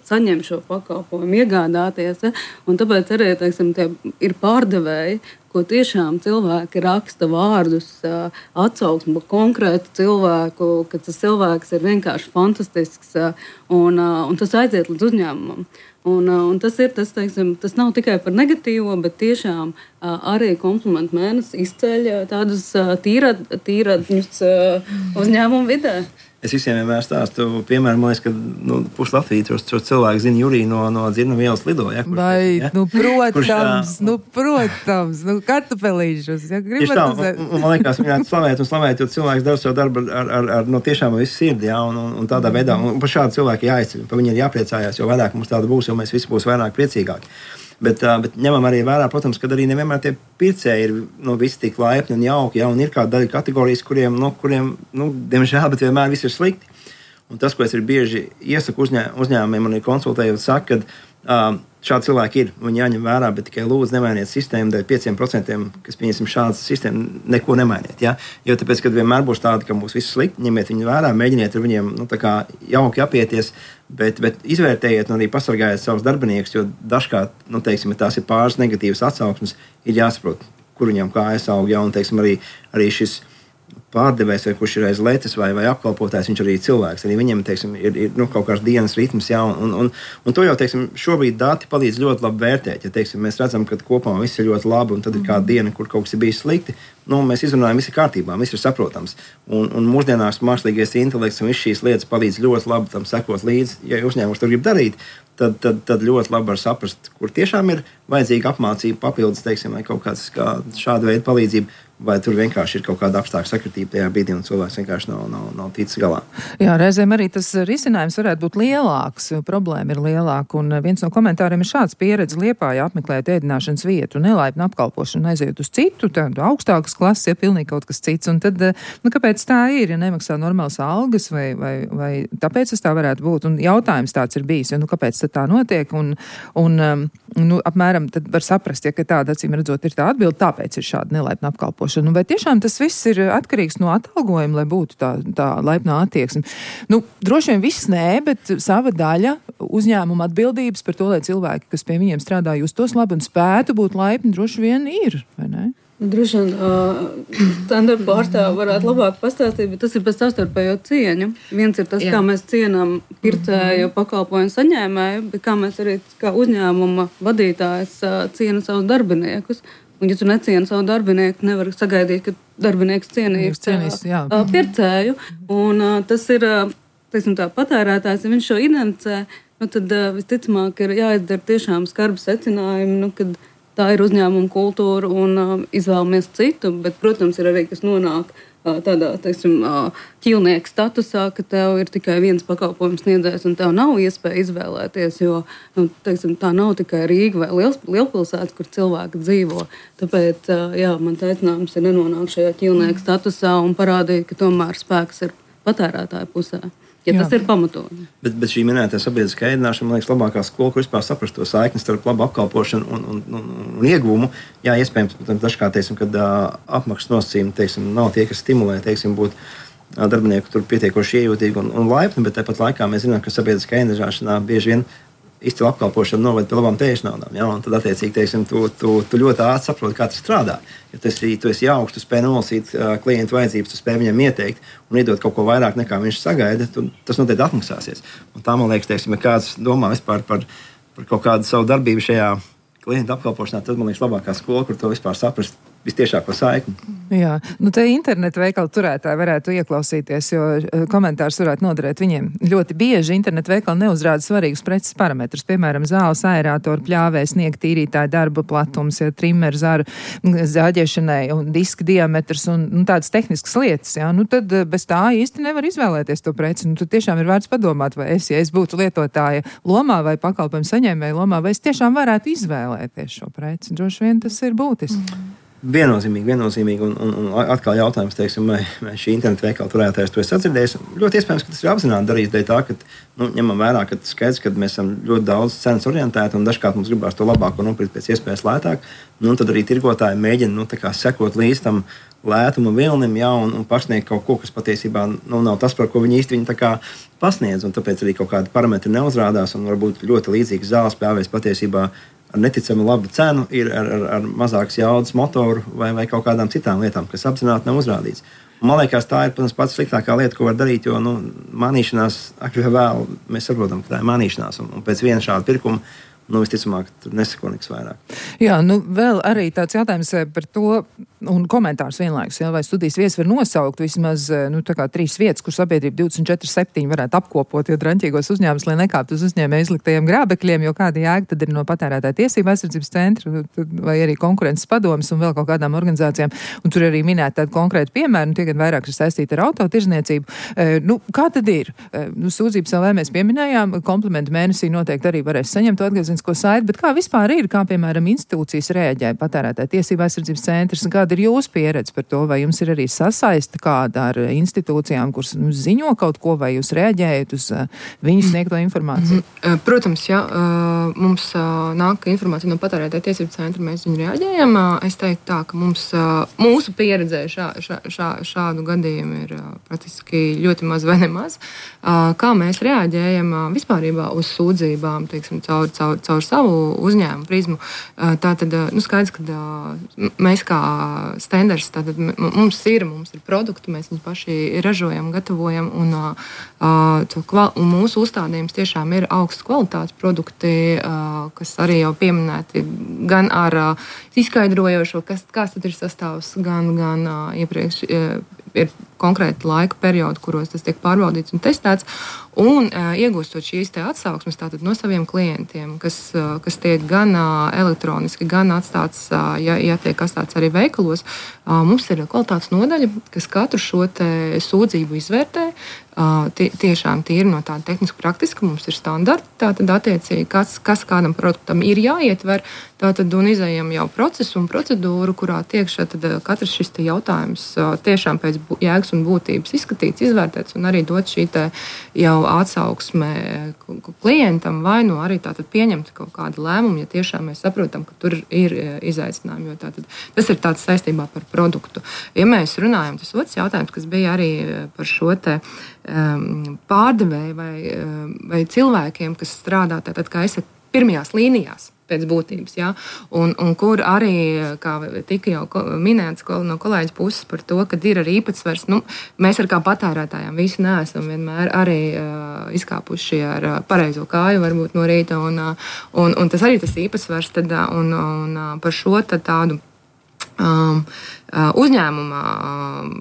saņem šo pakalpojumu, iegādāties. Ja? Un tāpēc arī, teiksim, tie ir pārdevēji, ko tiešām cilvēki raksta vārdus, atsauksmi par konkrētu cilvēku, ka tas cilvēks ir vienkārši fantastisks, un, un tas aiziet līdz uzņēmumam. Un, un tas, ir, tas, teiksim, tas nav tikai par negatīvo, bet tiešām arī komplimentu mēnesis izceļ tādus tīrad, tīradņus uzņēmumu vidē. Es visiem vienmēr stāstu, piemēram, man liekas, ka nu, pusi Latvijas tos, tos cilvēku zina Juriju no, no Dzirnavu ielas lido. Ja, kurš, Vai, ja? nu, protams, kurš, nu, protams, nu, kartupelīšus. Ja, tā, un, un, man liekas, viņētu slavēt un slavēt, jo cilvēks dara savu darbu ar, ar, ar no tiešām visu sirdi, ja, un, un, un tādā veidā, un par šādu cilvēku jāizceļ, par viņu ir jāpriecājās, jo vairāk mums tāda būs, jo mēs visi būs vairāk priecīgāki. Bet, bet ņemam arī vērā, protams, ka arī nevienmēr tie pircēji ir nu, visi tik laipni un jauki, ja, un ir kāda daļa kategorijas, kuriem, nu, kuriem nu, diemžēl, bet vienmēr viss ir slikti. Un tas, ko es ir bieži iesaku uzņē, uzņēmumiem un konsultējot, saka, ka uh, šādi cilvēki ir, viņi jāņem vērā, bet tikai lūdzu nemainiet sistēmu dēļ pieciem procentiem, kas pieņemsim šādas sistēmu, neko nemainiet. Ja? Jo tāpēc, kad vienmēr būs tādi, ka būs viss slikti, ņemiet viņu vērā, mēģiniet ar viņiem nu, tā kā jauki apieties, bet, bet izvērtējiet un arī pasargājiet savus darbiniekus, jo dažkārt, nu, teiksim, ja tās ir pāris negatīvas atsauksmes, ir jāsaprot, kur viņam kājas aug, ja, un, teiksim, arī, arī šis pārdevējs, vai kurš ir aiz letes vai, vai apkalpotājs, viņš arī ir cilvēks. Arī viņam, teiksim, ir, ir nu, kaut kāds dienas ritms, jā, un, un, un to jau, teiksim, šobrīd dati palīdz ļoti labi vērtēt. Ja, teiksim, mēs redzam, ka kopumā viss ir ļoti labi, un tad ir kāda diena, kur kaut kas ir bijis slikti, nu, mēs izrunājam, viss ir kārtībā, viss ir saprotams. Un, un mūsdienās mākslīgais intelekts un viss šīs lietas palīdz ļoti labi tam sekot līdzi. Ja uzņēmums to grib darīt, tad, tad, tad ļoti labi var saprast, kur tiešām ir vajadzīga apmācība, papildus, teiksim, vai kaut kāds kā šāda veida palīdzība, vai tur vienkārši ir kaut kāda apstākļa sakritība tajā brīdī, un cilvēks vienkārši nav, nav, nav ticis galā. Jā, reizēm arī tas risinājums varētu būt lielāks, problēma ir lielāka, un viens no komentāriem ir šāds: pieredze Liepājā apmeklēt ēdināšanas vietu, nelaipnu apkalpošanu, aiziet uz citu, tādu augstākas klases, ja pilnīgi kaut kas cits, un tad, nu, kāpēc tā ir, ja nemaksā normālas algas, vai, vai, vai tāpēc tas tā varētu būt, un jautājums tāds ir bijis, ja, nu, kāpēc tā notiek, un, un nu, apmēram tad var saprast, ja, ka tāda, acīm redzot, ir tā atbilde, tāpēc ir šāda nelaipna apkalpošana. Nu, vai tiešām tas viss ir atkarīgs no atalgojuma, lai būtu tā, tā laipnā attieksme? Nu, droši vien viss nē, bet sava daļa uzņēmuma atbildības par to, lai cilvēki, kas pie viņiem strādā, justos labi un spētu būt laipni, droši vien ir, vai ne? Droši vien uh, standarta pārstāvja varētu labāk pastāstīt, bet tas ir pēc savstarpējo cieņu. Viens ir tas, Jā. Kā mēs cienām pircēju pakalpojumu saņēmēju, bet kā mēs arī kā uzņēmuma vadītājs uh, ciena savus darbiniekus. Un, ja tu necieni savu darbinieku, nevar sagaidīt, ka darbinieks cienīs, cienīs jā. uh, pircēju. Un uh, tas ir, uh, teiksim tā, patērētājs, ja viņš šo identificē, nu, tad uh, visticamāk ir jāizdara tiešām skarbi secinājumi, nu, kad tā ir uzņēmuma kultūra un uh, izvēlamies citu, bet, protams, ir arī, kas nonāk uh, tādā, teiksim, uh, ķīlnieka statusā, ka tev ir tikai viens pakalpojums sniedzējs un tev nav iespēja izvēlēties, jo, nu, teiksim, tā nav tikai Rīga vai liels, lielpilsētas, kur cilvēki dzīvo. Tāpēc, uh, jā, mans aicinājums ir nenonākt šajā ķīlnieka statusā un parādīt, ka tomēr spēks ir patērētāja pusē. Ja jā. Tas ir pamatoti. Bet, bet šī minētā sabiedriskā ēdināšana, man liekas, labākā skola, kur vispār saprast to saikni starp labu apkalpošanu un, un, un, un ieguvumu. Jā, iespējams, protams, dažkārt, teiksim, kad uh, apmaksas nosacījumi, teiksim, nav tie, kas stimulē, teiksim, būt uh, darbinieku tur pietiekoši iejūtīgi un, un laipni, bet tāpat laikā mēs zinām, ka sabiedriskā ēdināšanā bieži vien izcila apkalpošana noved pie labām tējas naudām. Ja? Un tad, attiecīgi, teiksim, tu, tu, tu ļoti ātri saproti, kā tas strādā. Ja tu esi, tu esi jauks, tu spēj nolasīt uh, klientu vajadzības, tu spēj viņam ieteikt un iedot kaut ko vairāk, nekā viņš sagaida, tu, tas noteikti atmaksāsies. Un tā, man liekas, teiksim, ja kāds domā vispār par, par kaut kādu savu darbību šajā klientu apkalpošanā, tad man liekas labākā skola, kur to vispār saprast vistiešāko saikni. Jā, nu te internetu veikalu turētāji varētu ieklausīties, jo komentārs varētu noderēt viņiem. Ļoti bieži internetu veikali neuzrāda svarīgus preces parametrus, piemēram, zāles, aerātoru, pļāvēs, sniega tīrītāja darba platums, ja, trimer, zaru, zāģēšanai un diska diametrs un, un tādas tehniskas lietas, jā. Nu tad bez tā īsti nevar izvēlēties to preci. Nu tad tiešām ir vērts padomāt, vai es, ja es būtu lietotāja lomā vai pakalpojumu saņēmēja lomā, vai es tiešām varētu izvēlēties šo preci. Droši vien tas ir būtiski. Mm. Viennozīmīgi, viennozīmīgi, un, un, un atkal jautājums, teiksim, vai, vai šī internetu veikala turētājs to ir atdzirdējis. Ļoti iespējams, ka tas ir apzināti darīts dēļ tā, ka, nu, ņemam vērā, ka skaidrs, ka mēs esam ļoti daudz cenas orientēti, un dažkārt mums gribās to labāko nopirkt pēc iespējas lētāk, nu, un tad arī tirgotāji mēģina, nu, tā kā sekot līdz tam lētuma vilnim, jā, un, un pasniegt kaut ko, kas patiesībā, nu, nav tas, par ko viņi īsti viņi tā kā pasniedz, un tāpēc arī kaut kādi parametri neuzrādās, un varbūt ļoti līdzīgs zāles pļāvējs patiesībā ar neticami labu cenu, ir ar, ar, ar mazākas jaudas motoru vai, vai kaut kādām citām lietām, kas apzināti nav uzrādīts. Man liekas, tā ir, protams, pats sliktākā lieta, ko var darīt, jo, nu, manīšanās, agri vai vēl, mēs saprotam, ka tā ir manīšanās, un, un pēc viena šāda pirkuma, nu, visticamāk, tur nesako nekas vairāk. Jā, nu, vēl arī tāds jautājums par to, un komentārs vienlaikus, ja, vai studijas viesi var nosaukt vismaz, nu, tā kā trīs vietas, kur sabiedrība divdesmit četri septiņi varētu apkopot, jo draņķīgos uzņēmumus, lai nekāptu uz uzņēmēju izliktajiem grābekļiem, jo kāda jēga tad ir no patērētāja tiesība aizsardzības centra, vai arī konkurences padomas un vēl kaut kādām organizācijām, un tur arī minēt tādu konkrētu piemēru, un tie gan vairāk ir saistīti ar autotirzniecību. E, nu, kā tad ir? E, nu, sūdzības vēl mēs pieminējām, komplimentu mēnesī noteikti arī varēs saņemt atgriezienisko saiti, bet kā vispār ir, kā piemēram institūcijas rēģē patērētāja tiesība aizsardzības centrs, kāda ir jūsu pieredze par to, vai jums ir arī sasaiste kāda ar institūcijām, kuras nu, ziņo kaut ko, vai jūs rēģējat uz uh, viņu sniegto informāciju? Mm-hmm. Protams, ja uh, mums uh, nāk informācija no patērētāja tiesību centra, mēs viņu rēģējam. Uh, es teiktu tā, ka mums, uh, mūsu pieredzē šā, šā, šā, šādu gadījumu ir uh, praktiski ļoti maz vai nemaz. Uh, kā mēs rēģējam uh, vispārībā uz sūdzībām, teiksim, caur, caur, caur savu uzņēmumu prizmu. Uh, tā tad, uh, nu, skaidrs, ka uh, mēs kā standards, tātad mums ir, mums ir produkti, mēs viņus paši ražojam, gatavojam, un, uh, kval, un mūsu uzstādījums tiešām ir augsts kvalitātes produkti, uh, kas arī jau pieminēti gan ar uh, izskaidrojošo, kas, kas tad ir sastāvs, gan, gan uh, iepriekš uh, ir konkrēti laika periodi, kuros tas tiek pārbaudīts un testēts, un uh, iegūstot šīs te atsauksmes tātad no saviem klientiem, kas, uh, kas tiek gan uh, elektroniski, gan atstāts, uh, ja, ja tiek atstāts arī veikalos, uh, mums ir kvalitātes nodaļa, kas katru šo te sūdzību izvērtē, uh, tie, tiešām tīri no tāda tehniski praktiska, mums ir standarti, tātad attiecīgi, kas, kas kādam produktam ir jāietver, tātad un izējam jau procesu un procedūru, kurā tiek šeit katrs šis te jautājums uh, tiešām pēc jēgas un būtības izskatīts, izvērtēts un arī dot šī te jau atsauksme klientam vai nu arī tātad pieņemt kaut kādu lēmumu, ja tiešām mēs saprotam, ka tur ir izaicinājumi, jo tātad tas ir tāds saistībā par produktu. Ja mēs runājam, tas otrs jautājums, kas bija arī par šo te um, pārdevēju vai, vai cilvēkiem, kas strādā tātad, kā esat pirmajās līnijās pēc būtības, ja? un, un kur arī, kā tika jau minēts no kolēģis puses par to, ka ir arī īpatsvars, nu, mēs ar kā patērētājām visi neesam vienmēr arī uh, izkāpuši ar uh, pareizo kāju varbūt no rīta, un, uh, un, un tas arī tas īpatsvars, tad, uh, un, un uh, par šo tad tādu um, uh, uzņēmuma um,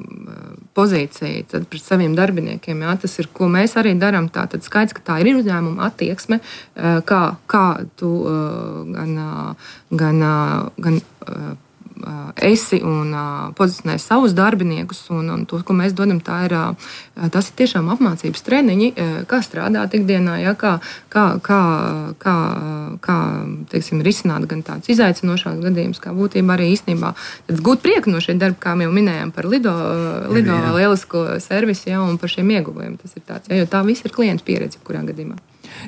pozīciju tad pret saviem darbiniekiem. Jā, tas ir, ko mēs arī darām. Tātad skaidrs, ka tā ir uzņēmuma attieksme, kā, kā tu gan, gan, gan esi un pozicionē savus darbiniekus, un, un to, ko mēs dodam, tā ir, tas ir tiešām apmācības treniņi, kā strādāt ikdienā, ja, kā, kā, kā, kā, kā teiksim, risināt gan tāds izaicinošāks gadījums, kā būtībā arī īstenībā gūt prieku no šī darba, kā jau minējām par Lido, Lido lielisko servisu, ja, un par šiem ieguvumiem. Tas ir tāds, ja, jo tā viss ir klienta pieredze, kurā gadījumā.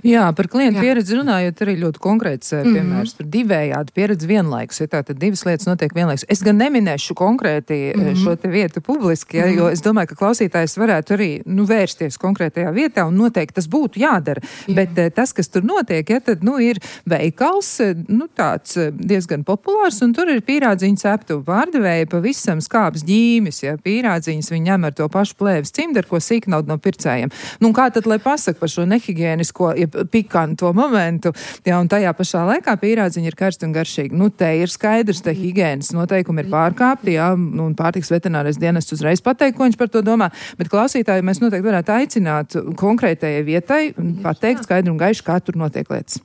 Jā, par klientu pieredzi runājot arī ļoti konkrēts piemērs mm-hmm. par divējādu pieredzi vienlaikus. Ja tātad divas lietas notiek vienlaikus. Es gan neminēšu konkrēti mm-hmm. šo te vietu publiski, ja, mm-hmm. jo es domāju, ka klausītājs varētu arī nu, vērsties konkrētajā vietā un noteikti tas būtu jādara. Jā. Bet tas, kas tur notiek, ja, tad nu, ir veikals, nu, tāds diezgan populārs, un tur ir pīrādziņu ceptuvu pārdevēja pavisam skābs ģīmis. Ja, pīrādziņas viņi ņem ar to pašu plēves cimdu, ar ko sīknaudu no pircējiem. Nu, kā tad, lai pasaka par šo nehigiēnisko ja, pikanto momentu. Jā, un tajā pašā laikā pīrādziņi ir karsti un garšīgi. Nu, te ir skaidrs, te higienas noteikumi ir pārkāpti, jā, nu, un pārtiks veterinārais dienests uzreiz pateikt, ko viņš par to domā, bet klausītāji mēs noteikti varētu aicināt konkrētajai vietai un pateikt skaidri un gaiši, kā tur notiek lietas.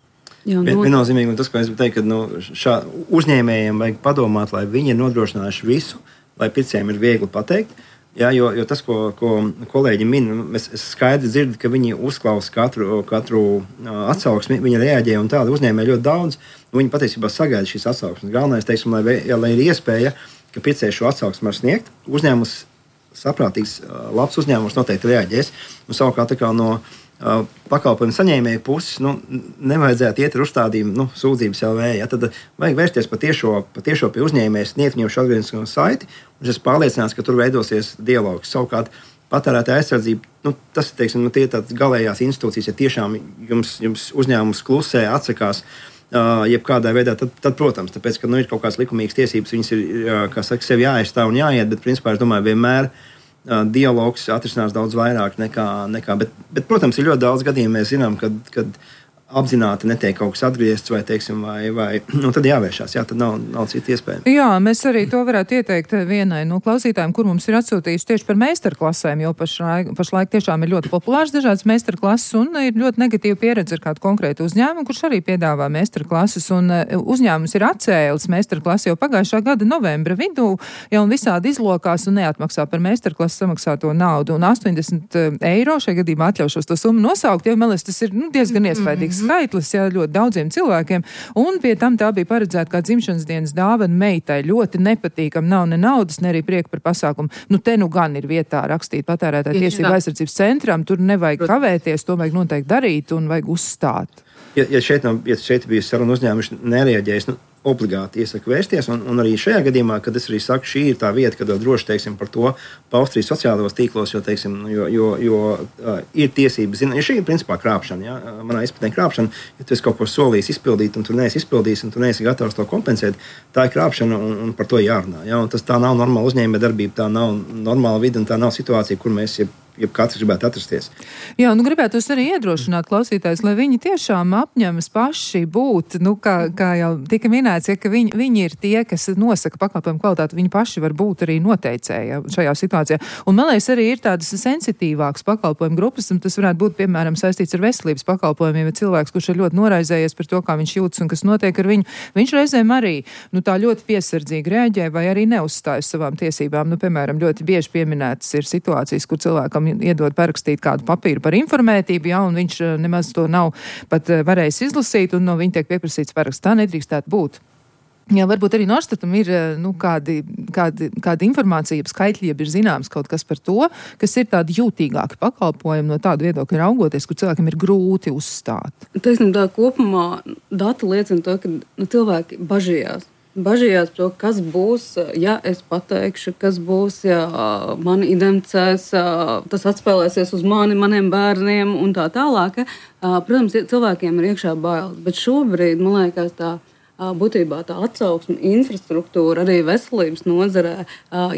Jā, Vien, viennozīmīgi, un tas, ko es gribu teikt, ka nu, šā uzņēmējiem vajag padomāt, lai viņi ir nodrošinājuši visu, lai pircējiem ir viegli pateikt. Jā, jo, jo tas, ko, ko kolēģi min, es, es skaidri dzirdu, ka viņi uzklausa katru, katru uh, atsauksmi, viņi reaģē un tādi uzņēmēji ļoti daudz. Viņi patiesībā sagaida šīs atsauksmes. Galvenais, teiksim, lai, jā, lai ir iespēja, ka pircēji šo atsauksmi var sniegt, uzņēmums saprātīgs, uh, labs uzņēmums noteikti reaģēs. Un savukārt tā kā no Uh, pakalpojumu saņēmēju puses, nu, nevajadzētu iet ar uzstādījumu, nu, sūdzības L V. Ja, tad vajag vērsties patiešo, patiešo pie uzņēmēja, sniegt viņam šo atgrieznisko saiti, un es pārliecināts, ka tur veidosies dialogs. Savukārt patērētāja aizsardzība, nu, tas ir, teiksim, nu, tie tādas galējās institūcijas, ja tiešām jums, jums uzņēmums klusē, atsakās, uh, jebkādā veidā, tad, tad, protams, tāpēc, ka, nu, ir kaut kādas likumīgas tiesības, viņas ir, uh, kā saka, sev jāaizstāv un jāiet, bet, principā, es domāju, vienmēr Uh, dialogs atrisinās daudz vairāk nekā. nekā bet, bet, protams, ir ļoti daudz gadījumu. Mēs zinām, ka apzināti netiek kaut kas atgriezts, vai, teiksim, vai, vai nu, tad jāvēršās. Jā, tad nav, nav cita iespēja. Jā, mēs arī to varētu ieteikt vienai no klausītājiem, kur mums ir atsūtījuši tieši par meistarklasēm, jo pašlaik, pašlaik tiešām ir ļoti populārs dažādas meistarklases un ir ļoti negatīva pieredze ar kādu konkrētu uzņēmumu, kurš arī piedāvā meistarklases. Un uzņēmums ir atcēlis meistarklasi jau pagājušā gada novembra vidū, jau un visādi izlokās un neatmaksā par meistarklases samaksāto naudu. Un astoņdesmit eiro šajā gadījumā atļaušos to summu nosaukt, jo, man liekas, tas ir nu, diezgan iespaidīgs skaitlis, jā, ļoti daudziem cilvēkiem, un pie tam tā bija paredzēta kā dzimšanas dienas dāvana meitai. Ļoti nepatīkam, nav ne naudas, ne arī prieka par pasākumu. Nu, te nu gan ir vietā rakstīt patērētāju tiesību aizsardzības centram, tur nevajag kavēties, to vajag noteikti darīt un vajag uzstāt. Ja, ja šeit, nav, ja šeit bija saruna uzņēmums, nereaģējis, nu, obligāti iesaku vērsties, un, un arī šajā gadījumā, kad es arī saku, šī ir tā vieta, kad vēl droši, teiksim, par to paust arī sociālos tīklos, jo, teiksim, jo, jo, jo uh, ir tiesības, zina, ja šī ir principā krāpšana, ja, manā izpratnē krāpšana, ja tu esi kaut ko solījis izpildīt, un tu neesi izpildījis, un tu neesi gatavs to kompensēt, tā ir krāpšana, un, un par to jārunā, ja, un tas tā nav normāla uzņēmē darbība, tā nav normāla vide, un tā nav situācija, kur mēs jeb, jeb katrs gribētu atrasties. Jā, nu gribētu arī iedrošināt klausītājus, lai viņi tiešām apņemas paši būt, nu, kā, kā jau tika minēts, ja, ka viņi, viņi ir tie, kas nosaka pakalpojumu kvalitāti, viņi paši var būt arī noteicēji šajā situācijā. Un man liekas, arī ir tādas sensitīvākas pakalpojumu grupas, un tas varētu būt, piemēram, saistīts ar veselības pakalpojumiem, ja cilvēks, kurš ir ļoti noraizējies par to, kā viņš jūtas un kas notiek ar viņu, viņš reizēm arī, nu, tā ļoti piesardzīgi reaģē vai arī neuzstājas savām tiesībām. Nu, piemēram, ļoti bieži pieminētas ir situācijas, kur cilvēkam iedod parakstīt kādu papīru par informētību, ja, un viņš nemaz to nav pat varējis izlasīt, un no viņa tiek pieprasīts paraksts. Tā nedrīkstētu būt. Jā, varbūt arī Norstatam ir nu, kādi, kādi, kādi informācija, skaitļi, ir zināms kaut kas par to, kas ir tādi jūtīgāki pakalpojumi no tādu viedokļa raugoties, kur cilvēkiem ir grūti uzstāt. Teiksim, tā kopumā dati liecina to, ka nu, cilvēki bažījās. Bažījās to, kas būs, ja es pateikšu, kas būs, ja mani identificēs, tas atspēlēsies uz mani, maniem bērniem un tā tālāk. Protams, cilvēkiem ir iekšā bailes, bet šobrīd, man liekas, tā būtībā tā atsauksme, infrastruktūra, arī veselības nozarē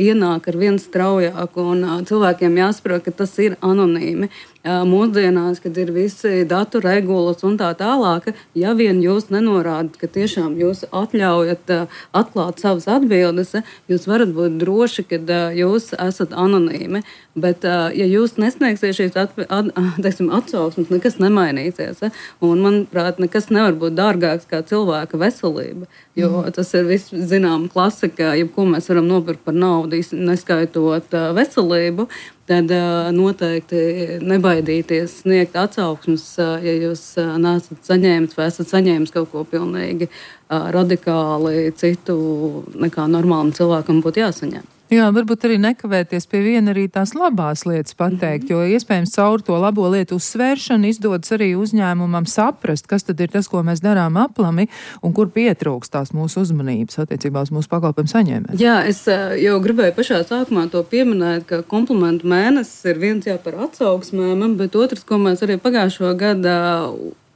ienāk ar vien straujāk, un cilvēkiem jāsaprot, ka tas ir anonīmi. Mūsdienās, kad ir visi datu regulas un tā tālāk, ja vien jūs nenorādat, ka tiešām jūs atļaujat atklāt savas atbildes, jūs varat būt droši, ka jūs esat anonīmi. Bet, ja jūs nesniegsiet šīs at, at, teiksim, atsauksmes, nekas nemainīsies. Un, manuprāt, nekas nevar būt dārgāks kā cilvēka veselība. Jo tas ir viss zinām klasika, jebko mēs varam nopirkt par naudu, neskaitot veselību. Tad noteikti nebaidīties sniegt atsauksmes, ja jūs neesat saņēmis vai esat saņēmis kaut ko pilnīgi radikāli citu nekā normālam cilvēkam būtu jāsaņem. Jā, varbūt arī nekavēties pie viena arī tās labās lietas pateikt, jo iespējams caur to labo lietu uzsvēršanu izdodas arī uzņēmumam saprast, kas tad ir tas, ko mēs darām aplami un kur pietrūkst tās mūsu uzmanības attiecībā uz mūsu pakalpojumu saņēmēju. Jā, es jau gribēju pašā sākumā to pieminēt, ka komplimentu mēnesis ir viens jā par atsauksmēm, bet otrs, ko mēs arī pagājušo gadu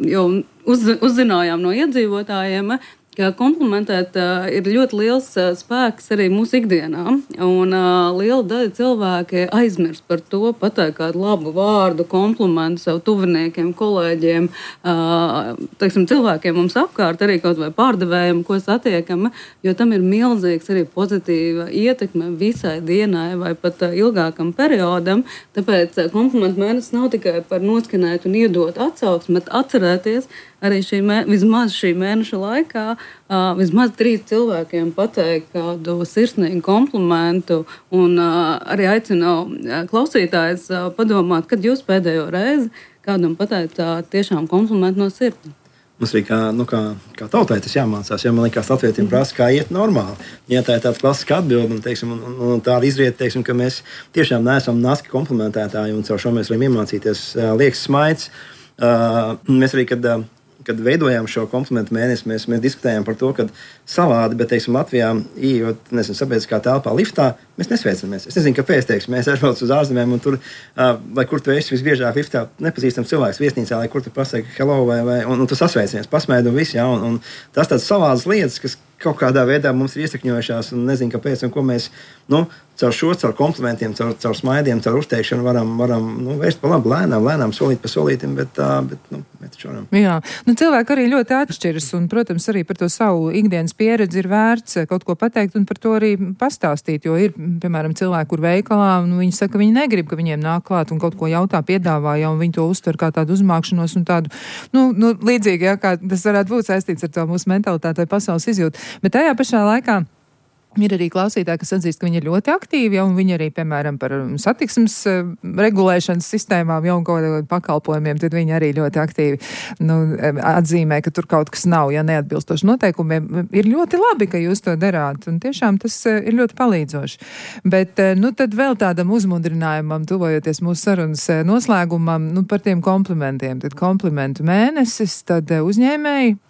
jau uz, uzzinājām no iedzīvotājiem, ka komplimentēt uh, ir ļoti liels uh, spēks arī mūsu ikdienā. Un uh, liela daļa cilvēki aizmirst par to, pateikt kādu labu vārdu, komplimentu savu tuviniekiem, kolēģiem, uh, teiksim, cilvēkiem mums apkārt, arī kaut vai pārdevējiem, ko satiekam, jo tam ir milzīgs arī pozitīva ietekme visai dienai vai pat uh, ilgākam periodam. Tāpēc uh, komplimentu mēnesis nav tikai par noskanēt un iedot atsauksmi, bet atcerēties arī šī mē, vismaz šī mēneša laikā uh, vismaz trīs cilvēkiem pateikt kādu sirsnīgu komplimentu un uh, arī aicinu uh, klausītājus uh, padomāt, kad jūs pēdējo reizi kādam pateicāt tiešām komplimentu no sirds. Mums arī kā, nu, kā, kā tautai tas jāmācās, jo man liekas, latvietiem prasa, kā iet normāli. Ja tā ir tāda klasiska atbilde, un, teiksim, un, un, un tāda izriet, teiksim, ka mēs tiešām neesam naski komplementētāji, un caur šo mēs varam iemācīties uh, liekas smaids. Uh, mēs arī, kad, uh, kad veidojām šo komplimentu mēnesi, mēs, mēs diskutējām par to, ka savādi, bet, teiksim, Latvijā, ieejot, nezinu, sabiedriskā telpā liftā, mēs nesveicamies. Es nezinu, kāpēc, teiksim, mēs aizbraucam uz ārzemēm, un tur, uh, lai kur tu esi visbiežāk liftā, nepazīstams cilvēks viesnīcā, lai kur tu pasaki hello, vai, vai un, un tu sasveicienies, pasmēdi un viss, jā, un, un tas tāds savādas lietas, kas kaut kādā veidā mums ir iesakņojušās, un nezinu, kāpēc, un ko mēs, nu, caur šo, caur komplimentiem, caur, caur smaidiem, caur uzteikšanu varam, varam nu, vērst pa labu, lēnām, lēnām, solīt pa solītim, bet, uh, bet nu, mēs taču varam. Jā, nu, cilvēki arī ļoti atšķiras, un, protams, arī par to savu ikdienas pieredzi ir vērts kaut ko pateikt un par to arī pastāstīt, jo ir, piemēram, cilvēki, kur veikalā, un viņi saka, ka viņi negrib, ka viņiem nāk klāt un kaut ko jautā, piedāvā, ja, un viņi to uztver kā tādu uzmākšanos un tādu, nu, nu līdzīgi, ja, kā tas varētu būt saistīts ar to mūsu mentalitāti vai pasaules izjūtu. Bet tajā pašā laikā ir arī klausītāji, kas atzīst, ka viņi ir ļoti aktīvi, ja, un viņi arī, piemēram, par satiksmes uh, regulēšanas sistēmām, ja, un kaut kādiem pakalpojumiem, tad viņi arī ļoti aktīvi nu, atzīmē, ka tur kaut kas nav, ja neatbilstoši noteikumiem. Ir ļoti labi, ka jūs to darāt, un tiešām tas uh, ir ļoti palīdzoši. Bet, uh, nu, tad vēl tādam uzmundrinājumam, tuvojoties mūsu sarunas uh, noslēgumam, nu, par tiem komplimentiem. Tad komplimentu mēnesis, tad uh, uzņēmēji.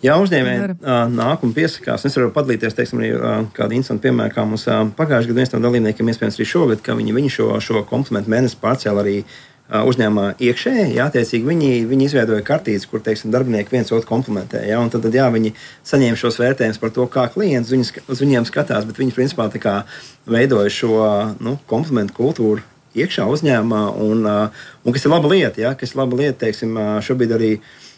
Jā, uzņēmēji uh, nāk un piesakās. Es varu padalīties, teiksim, arī uh, kādu instantu piemēru, kā mums uh, pagājušajā gadā viens no dalībniekiem, iespējams arī šogad, ka viņi, viņi šo, šo komplimentu mēnesi pārcēla arī uh, uzņēmumā iekšēji. Jā, attiecīgi viņi, viņi izveidoja kartītes, kur, teiksim, darbinieki viens otru komplementē. Jā, un tad, tad jā, viņi saņēma šos vērtējumus par to, kā klients uz, viņu, uz viņiem skatās, bet viņi, principā, tā kā veidoja šo nu, komplimentu kultūru iekšā uzņēmumā, un, uh, un kas ir laba lieta, jā, kas ir laba lieta, teiksim, uh, šobrīd arī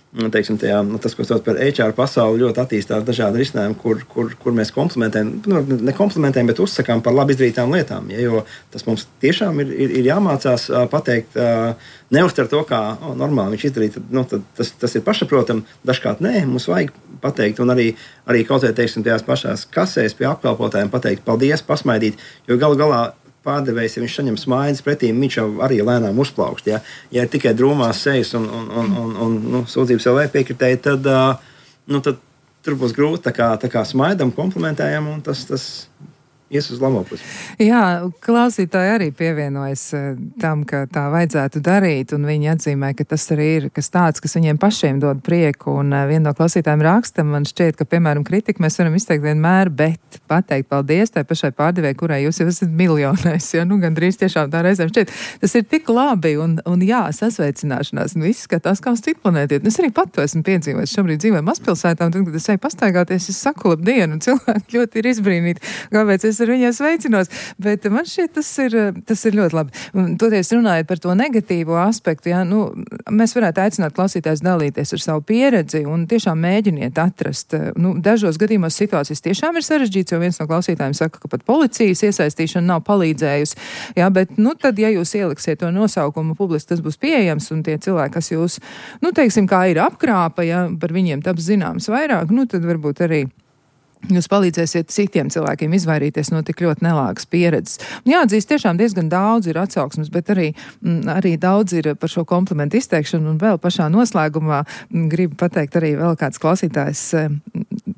Teiksim, tajā, nu, tas, ko sauc par H R pasauli, ļoti attīstās dažādi risinājumi, kur, kur, kur mēs komplimentējam, nu, ne komplimentējam, bet uzsakām par labi izdarītām lietām. Ja, jo tas mums tiešām ir, ir, ir jāmācās uh, pateikt, uh, neuztver to, kā oh, normāli viņš izdarīja. Nu, tas, tas ir pašsaprotami, dažkārt nē, mums vajag pateikt, un arī, arī kaut vai teiksim, tajās pašās kasēs pie apkalpotājiem pateikt paldies, pasmaidīt, jo galu galā pārdevējs, ja viņš saņem smaidas pretī, viņš jau arī lēnām uzplaukst. Ja, ja ir tikai drūmās sejas un, un, un, un, un nu, sūdzības vēl piekritēji, tad, uh, nu, tad tur būs grūti tā kā, tā kā smaidam, komplimentējam, un tas, tas ies uz labo pusi. Jā, klausītāji arī pievienojas tam, ka tā vajadzētu darīt, un viņi atzīmē, ka tas arī ir kas tāds, kas viņiem pašiem dod prieku, un viena no klausītājiem raksta, man šķiet, ka, piemēram, kritiku mēs varam izteikt vienmēr, bet pateikt paldies tai pašai pārdevēji, kurai jūs jau esat miljonais, jo, nu, gandrīz tiešām tā reizēm šķiet, tas ir tik labi, un, un jā, sasveicināšanās, un viss skatās kā uz citu planēti. Es arī pat to esmu piedzīvojis, šobrīd dzīvoju mazpilsētā, un tad, kad es eju pastaigāties, es saku labdienu, un cilvēki ļoti ir izbrīnīti, kāpēc es ar viņiem sveicinos, bet man šķiet, tas ir, tas ir ļoti labi. Un, toties runājot par to negatīvo aspektu, jā, nu, mēs varētu aicināt klausītājus dalīties ar savu pieredzi un tiešām mēģiniet atrast. Nu, dažos gadījumos situācijas tiešām ir sarežģīts, jo viens no klausītājiem saka, ka pat policijas iesaistīšana nav palīdzējusi. Jā, bet, nu, tad, ja jūs ieliksiet to nosaukumu publiski, tas būs pieejams, un tie cilvēki, kas jūs, nu, teiksim, kā ir apkrāpa, ja par viņiem taps zināms vairāk, nu, tad varbūt arī jūs palīdzēsiet citiem cilvēkiem izvairīties no tik ļoti nelāgas pieredzes. Un jāatzīst, tiešām diezgan daudz ir atsauksmes, bet arī, m, arī daudz ir par šo komplimentu izteikšanu, un vēl pašā noslēgumā m, gribu pateikt arī vēl kāds klausītājs m,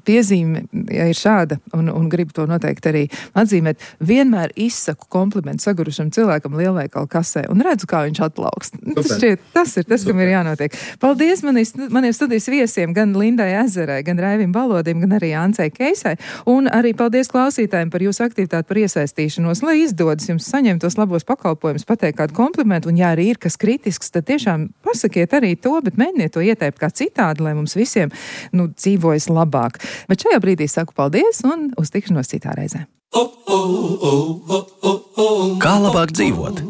piezīme, ja ir šāda, un, un gribu to noteikti arī atzīmēt. Vienmēr izsaku komplimentu sagurušam cilvēkam lielveikalu kasē, un redzu, kā viņš atplaukst. Tas, šķiet, tas ir tas, kam ir jānotiek. Paldies manis, maniem studijas viesiem, gan Lindai Ezerai, gan Raivim Balodim, gan arī Ancei Keisai, un arī paldies klausītājiem par jūsu aktivitāti, par iesaistīšanos, lai izdodas jums saņemt tos labos pakalpojumus, pateikt kādu komplimentu, un ja arī ir kas kritisks, tad tiešām pasakiet arī to, bet mēģiniet to ieteikt kā citādi, lai mums visiem, nu, dzīvojas labāk. Bet šajā brīdī saku paldies un uz tikšanos citā reizē. Kā labāk dzīvot?